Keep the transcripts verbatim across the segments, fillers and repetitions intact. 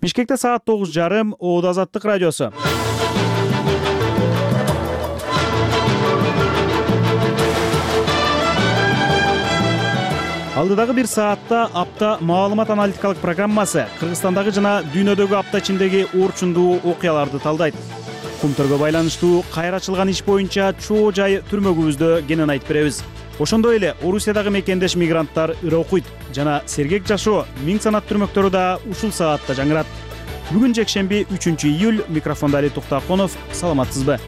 Бишкекте саат тогуз жарым, Оот Азаттык радиосу. Алдыдагы бир саатта апта маалымат аналитикалык программасы Кыргызстандагы жана дүйнөдөгү апта ичиндеги орчундуу окуяларды талдайт. Кумтөргө байланыштуу кайра ачылган иш боюнча чоо жай түрмөгүбүздө кенен айтып беребиз. Ошондой эле Орусиядагы мекендеш мигранттар ыры окуйт жана сергек жашоо миң санат түрмөктөрү да ушул саатта жаңырат. Бүгүн жекшемби үчүнчү июль, микрофонда Али Туктаконов. Саламатсызбы?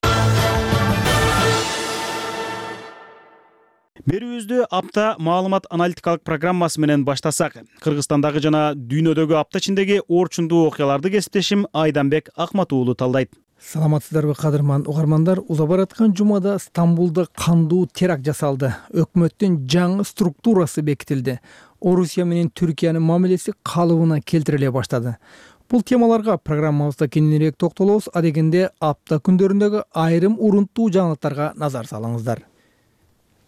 Берүүбүздү апта маалымат аналитикалык программасы менен баштасак, Кыргызстандагы жана дүйнөдөгү апта ичиндеги орчундуу окуяларды кесиптешим Айданбек Акмат уулу талдайт. Саламатсыздарбы, кадырман угармандар? Уза бараткан жумада Стамбулда кандуу теракт жасалды. Өкмөттүн жаңы структурасы бекитилди. Орусия менен Түркиянын мамилеси калыбына келтириле баштады. Бул темаларга программабызда кененирээк токтолобуз. Адегенде апта күндөрүндөгү айрым урунттуу жаңылыктарга назар салыңыздар.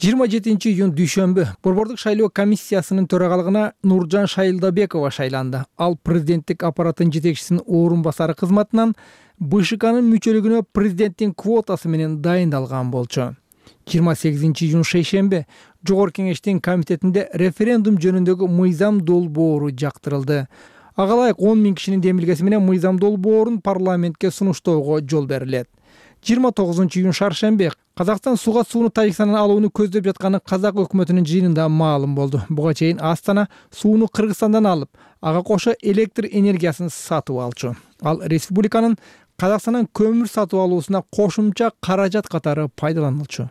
жыйырма жетинчи июнь дүйшөмбү Борбордук шайлоо комиссиясынын төрагалыгына Нуржан Шайылдабекова шайланды. Ал президенттик аппараттын жетекчисинин орун басары кызматынан БШКнын мүчөлүгүнө президенттин квотасы менен дайындалган болчу. жыйырма сегизинчи июнь шейшемби Жогорку кеңештин комитетинде референдум жөнүндөгү мыйзам долбоору жактырылды. Ага ылайык он миң кишинин демилгеси менен мыйзам долбоорун парламентке сунуштоого жол берилет. жыйырма тогузунчу июнь шаршемби Казакстан суга сууну Тажикстандан алууну көздөп жатканы казак өкмөтүнүн жыйынында маалым болду. Буга чейин Астана сууну Кыргызстандан алып, ага кошо электр энергиясын сатып алчу. Ал республиканын Казакстандан көмүр сатып алуусуна кошумча каражат катары пайдаланылчу.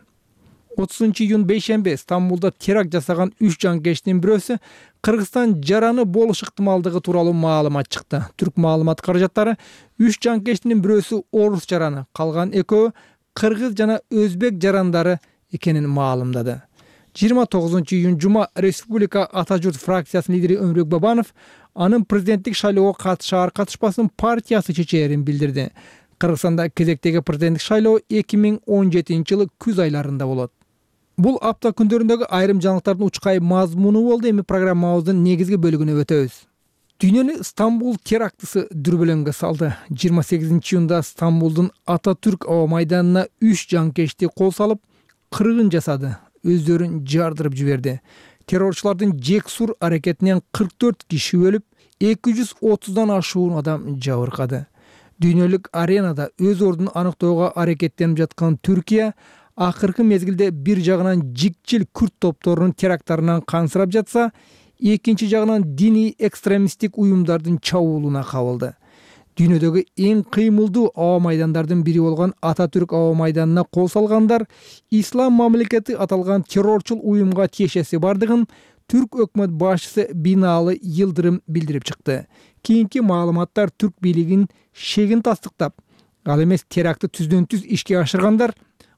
отузунчу июнь бейшемби Стамбулда теракт жасаган үч жанкечтин бирөөсү Кыргызстан жараны болуш ыктымалдыгы тууралуу маалымат чыкты. Түрк маалымат каражаттары үч жанкечтин бирөөсү орус жараны, калган экөө кыргыз жана өзбек жарандары экенин маалымдады. жыйырма тогузунчу июнь жума Республика Ата журт фракциясынын лидери Өмүрбек Бабанов анын президенттик шайлоого катышаар катышпасын партиясы чечээрин билдирди. Кыргызстанда кезектеги президенттик шайлоо эки миң он жетинчи жылы күз айларында болот. Бул апта күндөрүндөгү айрым жаңылыктардын учкай мазмуну болду. Эми программабыздын негизги бөлүгүнө өтөбүз. Дүйнөнү Стамбул терактысы дүрбөлөңгө салды. жыйырма сегизинчи июнда Стамбулдун Ататүрк аба майданына үч жанкечти кол салып, кыргын жасады, өздөрүн жардырып жиберди. Террорчулардын жексур аракетинен кырк төрт киши өлүп, эки жүз отуздан ашуун адам жабыркады. Дүйнөлүк аренада өз ордун аныктоого аракеттенип жаткан Түркия акыркы мезгилде бир жагынан жикчил күрд топторунун теракттарынан кансырап жатса, экинчи жагынан диний экстремисттик уюмдардын чабуулуна кабылды. Дүйнөдөгү эң кыймылдуу аба майдандардын бири болгон Ататүрк аба майданына кол салгандар ислам мамлекети аталган террорчул уюмга тиешеси бардыгын Түрк өкмөт башчысы Бинаалы Йылдырым билдирип чыкты. Кийинки маалыматтар Түрк бийлигин шегин тастыктап, ал эмес терактты түздөн түз ишке ашыргандар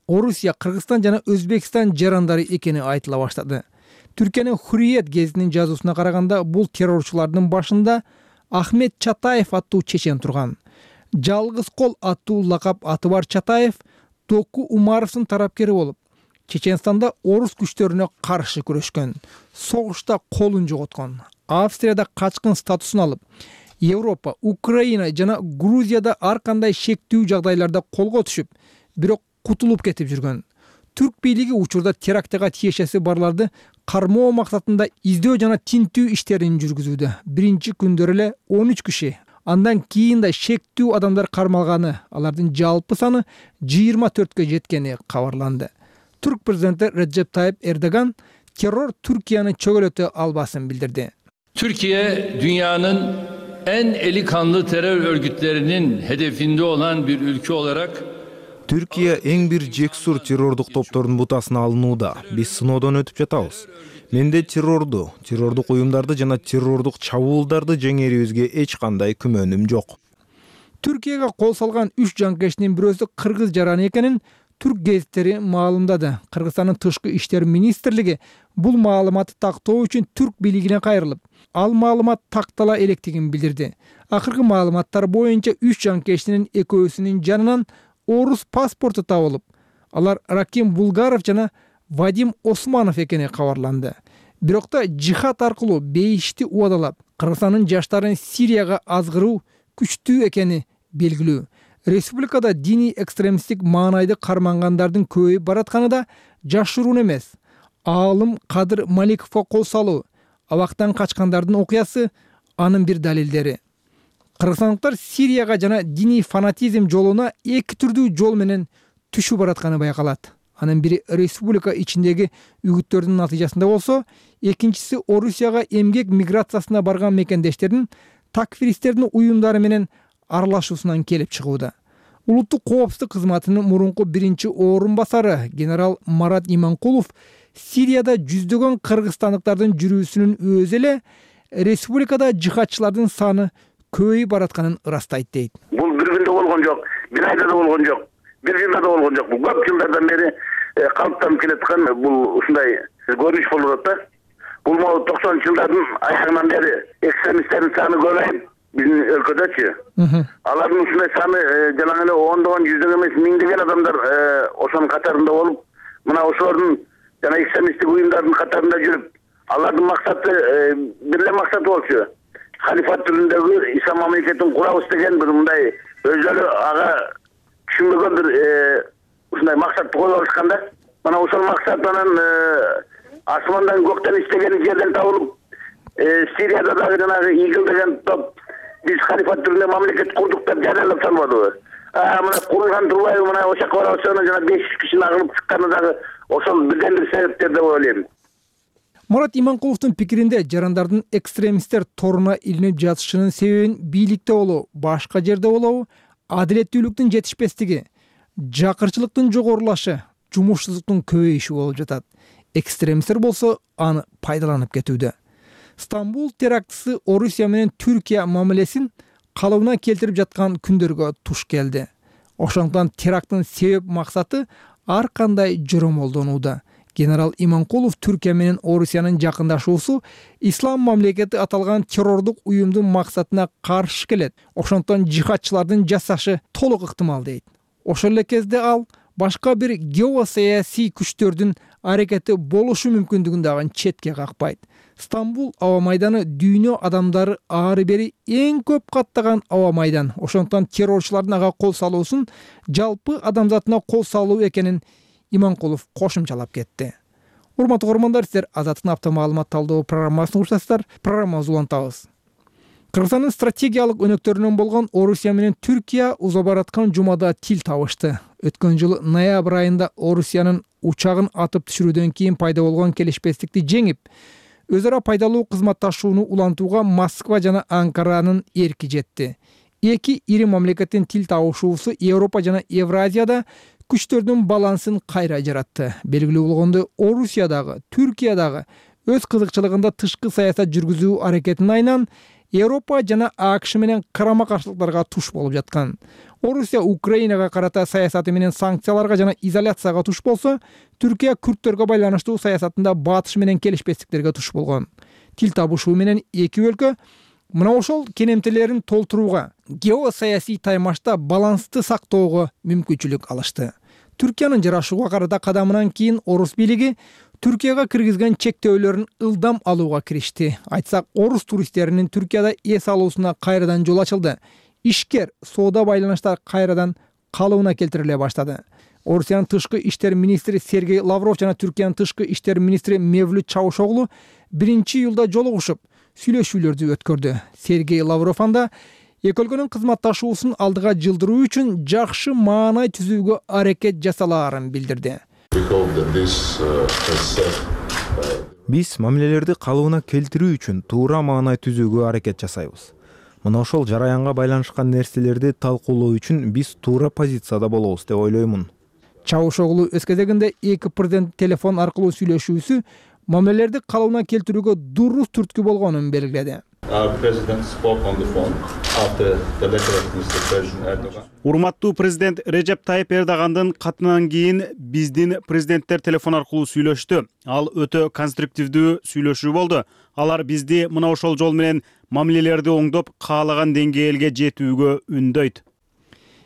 Орусия, Кыргызстан жана Өзбекстан жарандары экени айтыла баштады. Түркиянын Хурриет гезитинин жазуусуна караганда, бул террорчулардын башында Ахмет Чатаев аттуу чечен турган. Жалгыз кол аттуу лакап аты бар Чатаев Току Умаровдун тарапкери болуп, Чеченстанда орус күчтөрүнө каршы күрөшкөн, согушта колун жоготкон, Австрияда качкын статусун алып, Европа, Украина жана Грузияда ар кандай шектүү жагдайларда колго түшүп, бирок кутулуп кетип жүргөн. Түрк бийлиги учурда терактыга тиешеси барларды кармоо максатында издөө жана тинтүү иштерин жүргүзүүдө. Биринчи күндөрү эле он үч киши, андан кийин да шектүү адамдар кармалганы, алардын жалпы саны жыйырма төрткө жеткени кабарланды. Түрк президенти Реджеп Тайып Эрдоган террор Türkiye'ni çögölöte almasını bildirdi. Türkiye dünyanın en eli kanlı terör örgütlerinin hedefinde olan bir ülke olarak Türkiye эң бир жексур террордук топтордун бутасына алынууда. Биз сыноодон өтүп жатабыз. Менде террорду, террордук уюмдарды жана террордук чабуулдарды жеңерибизге эч кандай күмөнүм жок. Türkiye'ге кол салган үч жанкечтин бирөөсү кыргыз жараны экенин түрк гезиттери маалымдады. Кыргызстандын тышкы иштер министрлиги бул маалыматты тактоо үчүн түрк бийлигине кайрылып, ал маалымат тактала электигин билдирди. Акыркы маалыматтар боюнча үч жанкечтинин экөөсүнүн жанынан орус паспорту табылып, алар Раким Булгаров жана Вадим Османов экени кабарланды. Бирок та жихад аркылуу бейишти убадалап, Кыргызстандын жаштарын Сирияга азгыруу күчтүү экени белгилүү. Республикада диний экстремисттик маанайды кармангандардын көбөйүп баратканы да жашыруун эмес. Аалым Кадыр Маликовго кол салуу, абактан качкандардын окуясы анын бир далилдери. Кыргызстандыктар Сирияга жана диний фанатизм жолуна эки түрдүү жол менен түшүп баратканы байкалат. Анын бири республика ичиндеги үгүттөрдүн натыйжасында болсо, экинчиси Орусияга эмгек миграциясына барган мекендештердин такфиристтердин уюмдары менен аралашуусунан келип чыгууда. Улуттук коопсуздук кызматынын мурунку биринчи орун басары генерал Марат Иманкулов Сирияда жүздөгөн кыргызстандыктардын жүрүүсүнүн өзү эле республикада жихадчылардын саны көбөйүп баратканын ырастайт дейт. Бул бир күндө болгон жок, бир айда да болгон жок, бир жылда да болгон жок. Бул көп жылдардан бери калыптанып келаткан бул ушундай көрүнүш болуп атат да. Бул могу токсонунчу жылдардын аягынан бери экстремисттердин саны көбөйүп биздин өлкөдөчү. Алардын ушундай саны жана эле ондогон, жүздөгөн эмес, миңдеген адамдар ошонун катарында болуп, мына ошолордун жана экстремисттик уюмдардын катарында жүрүп, алардын максаты бир эле максаты болчу. Халифат түрүндөгү ислам мамлекетин курабыз деген бир мындай өзүлөрү ага түшүнбөгөн бир ушундай максатты коюп алышкан да. Мана ошол максат анан асмандан көктөн истеген жерден табылып, Сирияда дагы жанагы игил деген топ биз халифат түрүндө мамлекет курдук деп жарыялап салбадыбы? А мына курулган турбайбы, мына ошол жака барабыз, жана беш жүз кишинин агылып чыкканы дагы ошол бирден бир себептер деп ойлойм. Марат Иманкуловдун пикиринде жарандардын экстремисттер торуна илинип жатышынын себебин бийликте болобу, башка жерде болобу, адилеттүүлүктүн жетишпестиги, жакырчылыктын жогорулашы, жумушсуздуктун көбөйүшү болуп жатат. Экстремисттер болсо аны пайдаланып кетүүдө. Стамбул терактысы Орусия менен Түркия мамилесин калыбына келтирип жаткан күндөргө туш келди. Ошондуктан теракттын себеп максаты ар кандай жоромолдонууда. Генерал Иманкулов Түркия менен Орусиянын жакындашуусу ислам мамлекети аталган террордук уюмдун максатына каршы келет. Ошондуктан жихадчылардын жасашы толук ыктымал дейт. Ошол эле кезде ал башка бир геосаясий күчтөрдүн аракети болушу мүмкүндүгүн дагы четке какпайт. Стамбул аба майданы дүйнө адамдары ары бери эң көп каттаган аба майдан. Ошондуктан террорчулардын ага кол салуусун жалпы адамзатына кол салуу экенин Иманкулов кошумчалап кетти. Урматтуу көрөрмандар, сиздер Азаттыктын апта маалымат талдоо программасын угушасыздар. Программабызды улантабыз. Кыргызстандын стратегиялык өнөктөрүнөн болгон Орусия менен Түркия уза бараткан жумада тил табышты. Өткөн жылы ноябрь айында Орусиянын учагын атып түшүрүүдөн кийин пайда болгон келишпестикти жеңип, өз ара пайдалуу кызматташууну улантууга Москва жана Анкаранын эрки жетти. Эки ири мамлекеттин тил табышуусу Европа жана Евразияда күчтөрдүн балансын кайра жаратты. Белгилүү болгондой, Орусиядагы, Түркиядагы өз кызыкчылыгында тышкы саясат жүргүзүү аракетинин айынан Европа жана АКШ менен карама-каршылыктарга туш болуп жаткан. Орусия Украинага карата саясаты менен санкцияларга жана изоляцияга туш болсо, Түркия күрттөргө байланыштуу саясатында батыш менен келишпестиктерге туш болгон. Тил табышуу менен эки өлкө мына ошол кенемтелерин толтурууга, геосаясий таймашта балансты сактоого мүмкүнчүлүк алышты. Түркиянын жарашууга карата кадамынан кийин орус бийлиги Түркияга киргизген чектөөлөрүн ылдам алууга киришти. Айтсак, орус туристтеринин Түркияда эс алуусуна кайрадан жол ачылды. Ишкер, соода байланыштар кайрадан калыбына келтириле баштады. Орусиянын тышкы иштер министри Сергей Лавров жана Түркиянын тышкы иштер министри Мевлют Чавушоглу биринчи июлда жолугушуп, сүйлөшүүлөрдү өткөрдү. Сергей Лавров анда эки өлкөнүн кызматташуусун алдыга жылдыруу үчүн жакшы маанай түзүүгө аракет жасалаарын билдирди. Биз мамилелерди калыбына келтирүү үчүн туура маанай түзүүгө аракет жасайбыз. Мына ошол жараянга байланышкан нерселерди талкуулоо үчүн биз туура позицияда болобуз деп ойлоймун. Чавушоглу өз кезегинде эки президент телефон аркылуу сүйлөшүүсү мамилелерди калыбына келтирүүгө дурус түрткү болгонун белгиледи. Урматтуу президент Режеп Тайип Эрдогандын катынан кийин биздин президенттер телефон аркылуу сүйлөштү. Ал өтө конструктивдүү сүйлөшүү болду. Алар бизди мына ошол жол менен мамилелерди оңдоп, каалаган деңгээлге жетүүгө үндөйт.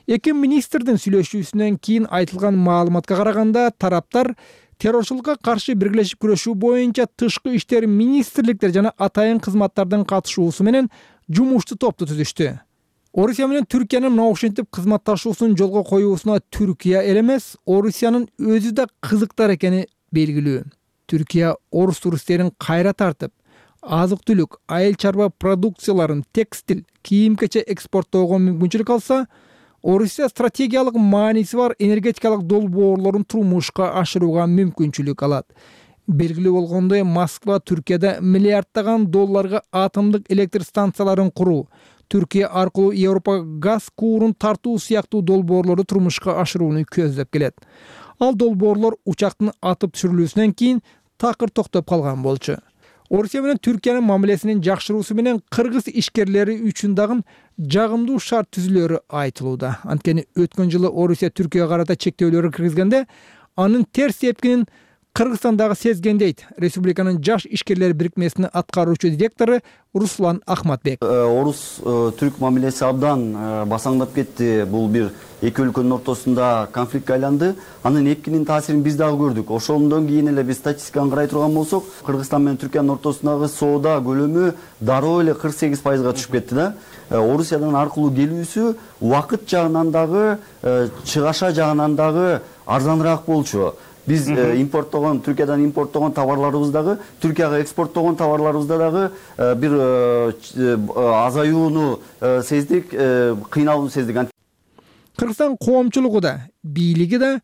Эки министрдин сүйлөшүүсүнөн кийин айтылган маалыматка караганда, тараптар террорчулукка каршы биргелешип күрөшүү боюнча тышкы иштер министрликтер жана атайын кызматтардын катышуусу менен жумуштуу топту түзүштү. Орусия менен Түркиянын мына ушинтип кызматташуусун жолго коюусуна Түркия эле эмес, Орусиянын өзү да кызыктар экени белгилүү. Түркия орус туристтерин кайра тартып, азык-түлүк, айыл чарба продукцияларын, текстиль, кийим-кече экспорттоого мүмкүнчүлүк алса, Орусия стратегиялык мааниси бар энергетикалык долбоорлорун турмушка ашырууга мүмкүнчүлүк алат. Белгилүү болгондой, Москва Түркияда миллиарддаган долларга атомдук электр станцияларын куруу, Түркия аркылуу Европага газ куурун тартуу сыяктуу долбоорлорду турмушка ашырууну көздөп келет. Ал долбоорлор учактын атып түшүрүлүүсүнөн кийин такыр токтоп калган болчу. Орусия менен Түркиянын мамилесинин жакшыруусу менен кыргыз ишкерлери үчүн дагы жагымдуу шарт түзүлөрү айтылууда. Анткени өткөн жылы Орусия Түркияга карата чектөөлөрү киргизгенде, анын терс эпкинин Кыргызстандагы сезген дейт республиканын жаш ишкерлер бирикмесинин аткаруучу директору Руслан Ахматбек. Орус түрк мамилеси абдан басаңдап кетти. Бул бир эки өлкөнүн ортосунда конфликтке айланды. Анын эпкинин таасирин биз дагы көрдүк. Ошондон кийин эле биз статистиканы карай турган болсок, Кыргызстан менен Түркиянын ортосундагы соода көлөмү дароо эле кырк сегиз пайызга түшүп кетти да. Орусиядан аркылуу келүүсү убакыт жагынан дагы, чыгаша жагынан дагы арзаныраак болчу. Биз импорттогон, Түркиядан импорттогон товарларыбыз дагы, Түркияга экспорттогон товарларыбызда дагы бир азаюуну сездик, кыйналууну сездик. Кыргызстан коомчулугу да, бийлиги да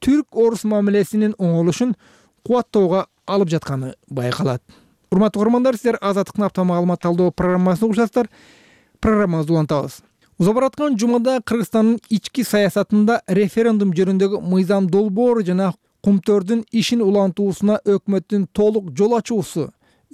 түрк-орус мамилесинин оңолушун кубаттоого алып жатканы байкалат. Урматтуу көрөрмандар, сиздер Азаттыктын апта маалымат талдоо программасын угушасыздар. Программабызды улантабыз. Уза бараткан жумада Кыргызстандын ички саясатында референдум жөнүндөгү мыйзам долбоору жана кумтөрдүн ишин улантуусуна өкмөттүн толук жол ачуусу,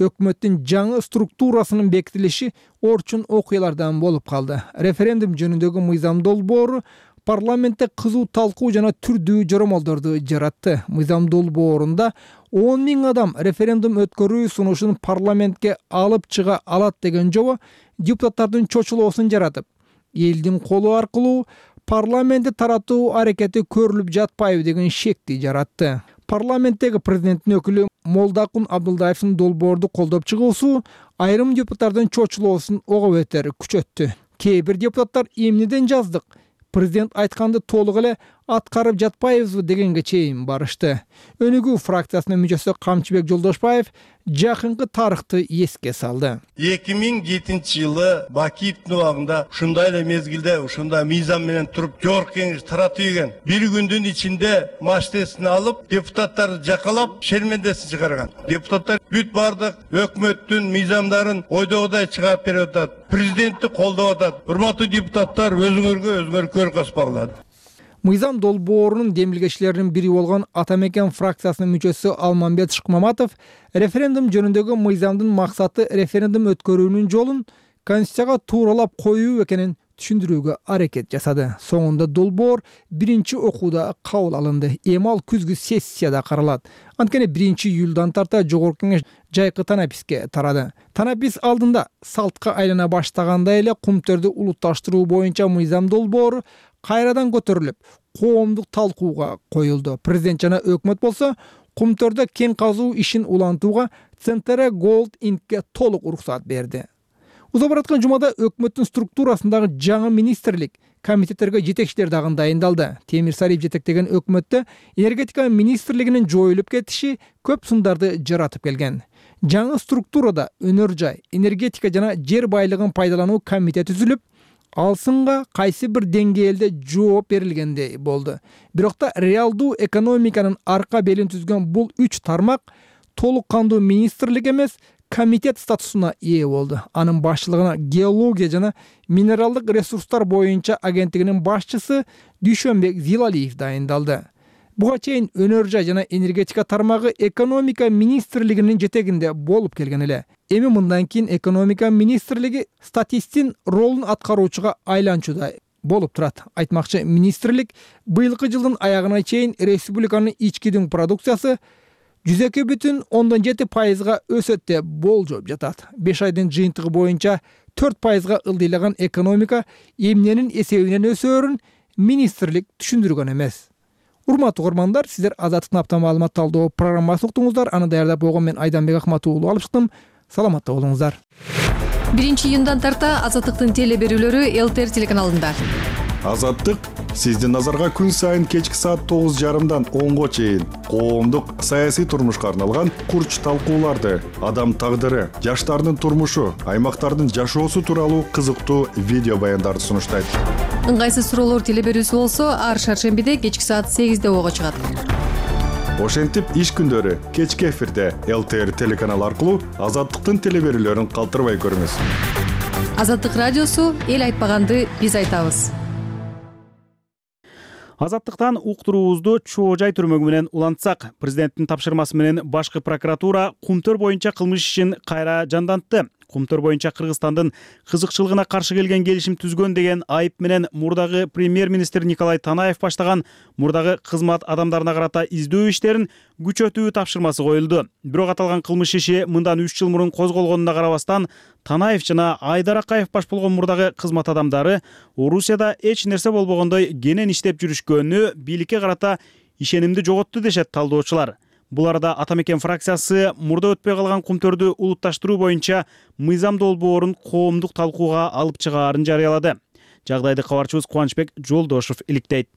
өкмөттүн жаңы структурасынын бекитилиши орчун окуялардан болуп калды. Референдум жөнүндөгү мыйзам долбоору парламентте кызуу талкуу жана түрдүү жоромолдорду жаратты. Мыйзам долбоорунда он миң адам референдум өткөрүү сунушун парламентке алып чыга алат деген жобо депутаттардын чочулоосун жаратып, элдин колу аркылуу парламентти таратуу аракети көрүлүп жатпайбы деген шекти жаратты. Парламенттеги президенттин өкүлү Молдакун Абдулдаевдин долбоорду колдоп чыгуусу айрым депутаттардын чочулоосун ого бетер күчөттү. Кээ бир депутаттар эмнеден жаздык, президент айтканды толук эле аткарып жатпайбызбы дегенге чейин барышты. Өнүгүү фракциясынын мүчөсү Камчыбек Жолдошбаев жакынкы тарыхты эске салды. эки миң жетинчи жылы Бакиевдин убагында ушундай эле мезгилде ушундай мыйзам менен туруп жогорку кеңеш таратып ийген. Бир күндүн ичинде маштесин алып, депутаттарды жакалап, шермендесин чыгарган. Депутаттар бүт бардык өкмөттүн мыйзамдарын ойдогудай чыгарып берип атат. Президентти колдоп атат. Урматтуу депутаттар, өзүңөргө өзүңөр көрүп каспагыла. Мыйзам долбоорунун демилгечилеринин бири болгон Ата Мекен фракциясынын мүчөсү Алмамбет Шыкмаматов референдум жөнүндөгү мыйзамдын максаты референдум өткөрүүнүн жолун Конституцияга тууралап коюу экенин түшүндүрүүгө аракет жасады. Соңунда долбоор биринчи окууда кабыл алынды. Эми ал күзгү сессияда каралат. Анткени биринчи июлдан тарта жогорку кеңеш жайкы танаписке тарады. Танапис алдында салтка айлана баштагандай эле кумтөрдү улутташтыруу боюнча мыйзам долбоору кайрадан көтөрүлүп, коомдук талкууга коюлду. Президент жана өкмөт болсо кумтөрдө кен казуу ишин улантууга Центре Gold Inc'ке толук уруксат берди. Уза бараткан жумада өкмөттүн структурасындагы жаңы министрлик, комитеттерге жетекчилер дагы дайындалды. Темир Сариев жетектеген өкмөттө энергетика министрлигинин жоюлуп кетиши көп сындарды жаратып келген. Жаңы структурада өнөр жай, энергетика жана жер байлыгын пайдалануу комитети түзүлүп, ал сынга кайсы бир деңгээлде жооп берилгендей болду. Бирок да реалдуу экономиканын арка белин түзгөн бул үч тармак толук кандуу министрлик эмес, комитет статусуна ээ болду. Анын башчылыгына геология жана минералдык ресурстар боюнча агенттигинин башчысы Дүйшөнбек Зилалиев дайындалды. Буга чейин өнөр жай жана энергетика тармагы экономика министрлигинин жетегинде болуп келген эле. Эми мындан кийин экономика министрлиги статисттин ролун аткаруучуга айланчудай болуп турат. Айтмакчы, министрлик быйылкы жылдын аягына чейин республиканын ички дүң продукциясы жүз эки бүтүн ондон жети пайызга өсөт деп болжоп жатат. беш айдын жыйынтыгы боюнча төрт пайызга ылдыйлаган экономика эмненин эсебинен өсөөрүн министрлик түшүндүргөн эмес. Урматтуу көрөрмандар, сиздер Азаттыктын апта маалымат талдоо программасын уктуңуздар. Аны даярдап койгон мен Айданбек Акматуулу алып чыктым. Саламатта болуңуздар. биринчи июндан тарта Азаттыктын теле берүүлөрү Эл Т Р телеканалында. Азаттык сиздин назарга күн сайын кечки саат тогуз жарымдан онго чейин коомдук саясий турмушка арналган курч талкууларды, адам тагдыры, жаштардын турмушу, аймактардын жашоосу тууралуу кызыктуу видео баяндарды сунуштайт. Ыңгайсыз суроолор теле берүүсү болсо ар шаршембиде кечки саат сегизде ого чыгат. Ошентип иш күндөрү кечки эфирде Эл Т Р телеканалы аркылуу Азаттыктын теле берүүлөрүн калтырбай көрүңүз. Азаттык радиосу эл айтпаганды биз айтабыз. Азаттыктан уктуруубузду Чоо Жай түрмөгү менен улантсак, президенттин тапшырмасы менен башкы прокуратура Кумтөр боюнча кылмыш ишин кайра жандантты. Кумтөр боюнча Кыргызстандын кызыкчылыгына каршы келген келишим түзгөн деген айып менен мурдагы премьер-министр Николай Танаев баштаган мурдагы кызмат адамдарына карата издөө иштерин күчөтүү тапшырмасы коюлду. Бирок аталган кылмыш иши мындан үч жыл мурун козголгонуна карабастан, Танаев жана Айдар Акаев баш болгон мурдагы кызмат адамдары Орусияда эч нерсе болбогондой кенен иштеп жүрүшкөнү бийликке карата ишенимди жоготту дешет талдоочулар. Бул арада Ата Мекен фракциясы мурда өтпөй калган Кумтөрдү улутташтыруу боюнча мыйзам долбоорун коомдук талкууга алып чыгаарын жарыялады. Жагдайды кабарчыбыз Кубанычбек Жолдошов иликтейт.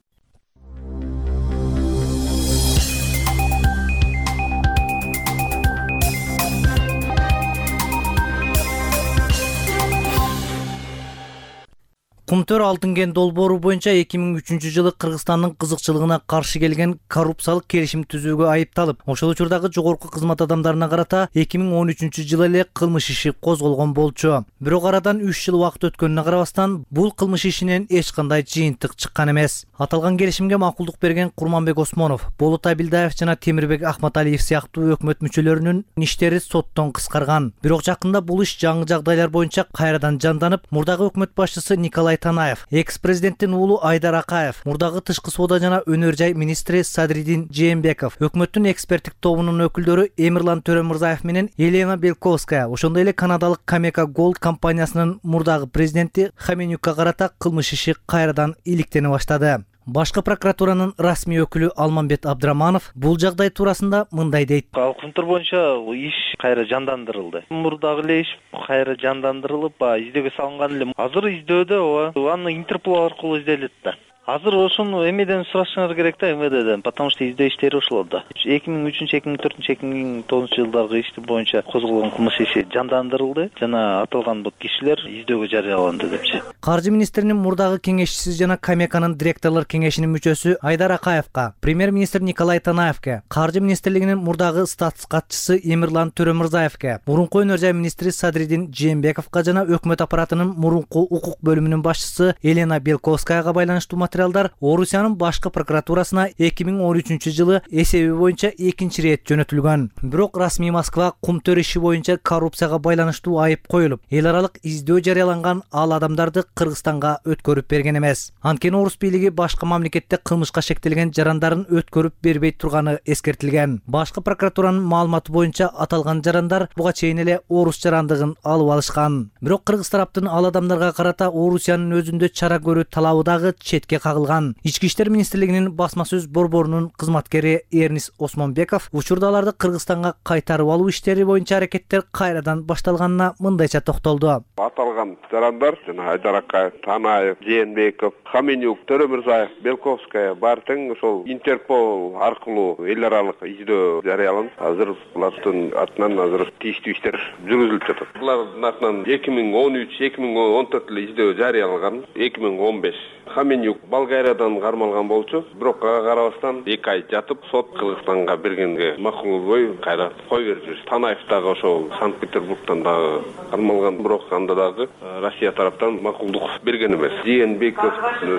Кумтөр алтын кен долбоору боюнча эки миң үчүнчү жылы Кыргызстандын кызыкчылыгына каршы келген коррупциялык келишим түзүүгө айыпталып, ошол учурдагы жогорку кызмат адамдарына карата эки миң он үчүнчү жылы эле кылмыш иши козголгон болчу. Бирок арадан үч жыл убакыт өткөнүнө карабастан, бул кылмыш ишинен эч кандай жыйынтык чыккан эмес. Аталган келишимге макулдук берген Курманбек Осмонов, Болот Абилдаев жана Темирбек Ахматалиев сыяктуу өкмөт мүчөлөрүнүн иштери соттон кыскарган. Бирок жакында бул иш жаңы жагдайлар боюнча кайрадан жанданып, мурдагы өкмөт башчысы Николай Танаев, экс-президенттин уулу Айдар Акаев, мурдагы тышкы соода жана өнөр жай министри Садридин Жээнбеков, өкмөттүн эксперттик тобунун өкүлдөрү Эмирлан Төрөмурзаев менен Елена Белковская, ошондой эле канадалык Камека Голд компаниясынын мурдагы президенти Хаменюкка карата кылмыш иши кайрадан иликтене баштады. Башкы прокуратуранын расмий өкүлү Алмамбет Абдраманов бул жагдай туурасында мындай дейт. Кумтөр боюнча иш кайра жандандырылды. Мурдагы эле иш кайра жандандырылып, издөөгө салынган эле. Азыр издөөдө аны Интерпол аркылуу изделет да. Азыр ошону эмеден сурашыңар керек да, эмеден, потому что издөө иштери ошолор да. эки миң үчүнчү, эки миң төртүнчү, эки миң тогузунчу жылдаргы ишти боюнча козголгон кылмыш иши жандандырылды жана аталган бул кишилер издөөгө жарыяланды депчи. Каржы министринин мурдагы кеңешчиси жана Камеканын директорлор кеңешинин мүчөсү Айдар Акаевка, премьер-министр Николай Танаевке, Каржы министрлигинин мурдагы статус катчысы Эмирлан Төрөмурзаевке, мурунку өнөр жай министри Садридин Жээнбековго жана өкмөт аппаратынын мурунку укук бөлүмүнүн башчысы Елена Белковскаяга байланыштуу материалдар Орусиянын башкы прокуратурасына эки миң он үчүнчү жылы эсеби боюнча экинчи рет жөнөтүлгөн. Бирок расмий Москва Кумтөр иши боюнча коррупцияга байланыштуу айып коюлуп, эл аралык издөө жарыяланган ал адамдарды Кыргызстанга өткөрүп берген эмес. Анткени орус бийлиги башка мамлекетте кылмышка шектелген жарандарын өткөрүп бербей турганы эскертилген. Башкы прокуратуранын маалыматы боюнча аталган жарандар буга чейин эле орус жарандыгын алып алышкан. Бирок кыргыз тараптын ал адамдарга карата Орусиянын өзүндө чара көрүү талабы дагы четке кагылган. Ички иштер министрлигинин басма сөз борборунун кызматкери Эрнис Осмонбеков учурда аларды Кыргызстанга кайтарып алуу иштери боюнча аракеттер кайрадан башталганына мындайча токтолду. Аталган жарандар жана Айдар Акаев, Танаев, Жээнбеков, Хаменюк, Төрөмурзаев, Белковская бар тең ошол Интерпол аркылуу эл аралык издөө жарыяланып, азыр булардын атынан азыр тийиштүү иштер жүргүзүлүп жатат. Булардын атынан эки миң он үч, эки миң он төрт эле издөө жарыяланган, эки миң он беш Хаменюк Болгариядан кармалган болчу, бирок ага карабастан эки ай жатып, сот Кыргызстанга бергенге макулдой кайра кой берип жүрүш. Танаев дагы ошол Санкт-Петербургтан дагы кармалган, бирок анда дагы Россия тараптан макулдук берген эмес. Жээнбеков,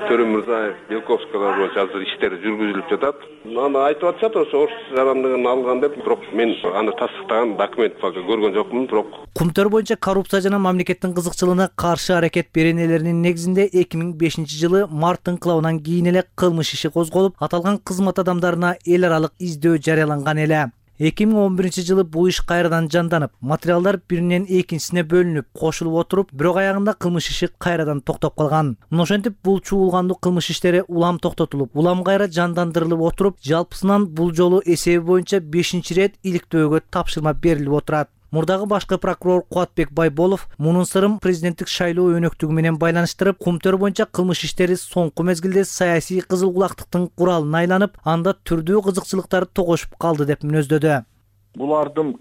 Төрөмурзаев, Белковскалар боюнча азыр иштер жүргүзүлүп жатат. Аны айтып атышат, ошо орус жарандыгын алган деп, бирок мен аны тастыктаган документ пока көргөн жокмун, бирок Кумтөр боюнча коррупция жана мамлекеттин кызыкчылыгына каршы аракет беренелеринин негизинде эки миң бешинчи жылы март инкылабынан кийин эле кылмыш иши козголуп, аталган кызмат адамдарына эл аралык издөө жарыяланган эле. эки миң он биринчи жылы бул иш кайрадан жанданып, материалдар биринен экинчисине бөлүнүп, кошулуп отуруп, бирок аягында кылмыш иши кайрадан токтоп калган. Мына ошентип бул чуулгандуу кылмыш иштери улам токтотулуп, улам кайра жандандырылып отуруп, жалпысынан бул жолу эсеби боюнча бешинчи рет иликтөөгө тапшырма берилип отурат. Мурдагы башкы прокурор Кубатбек Байболов мунун сырын президенттик шайлоо өнөктүгү менен байланыштырып, Кумтөр боюнча кылмыш иштери соңку мезгилде саясий кызыл кулактыктын куралына айланып, анда түрдүү кызыкчылыктар тогошуп калды деп мүнөздөдү. Булардын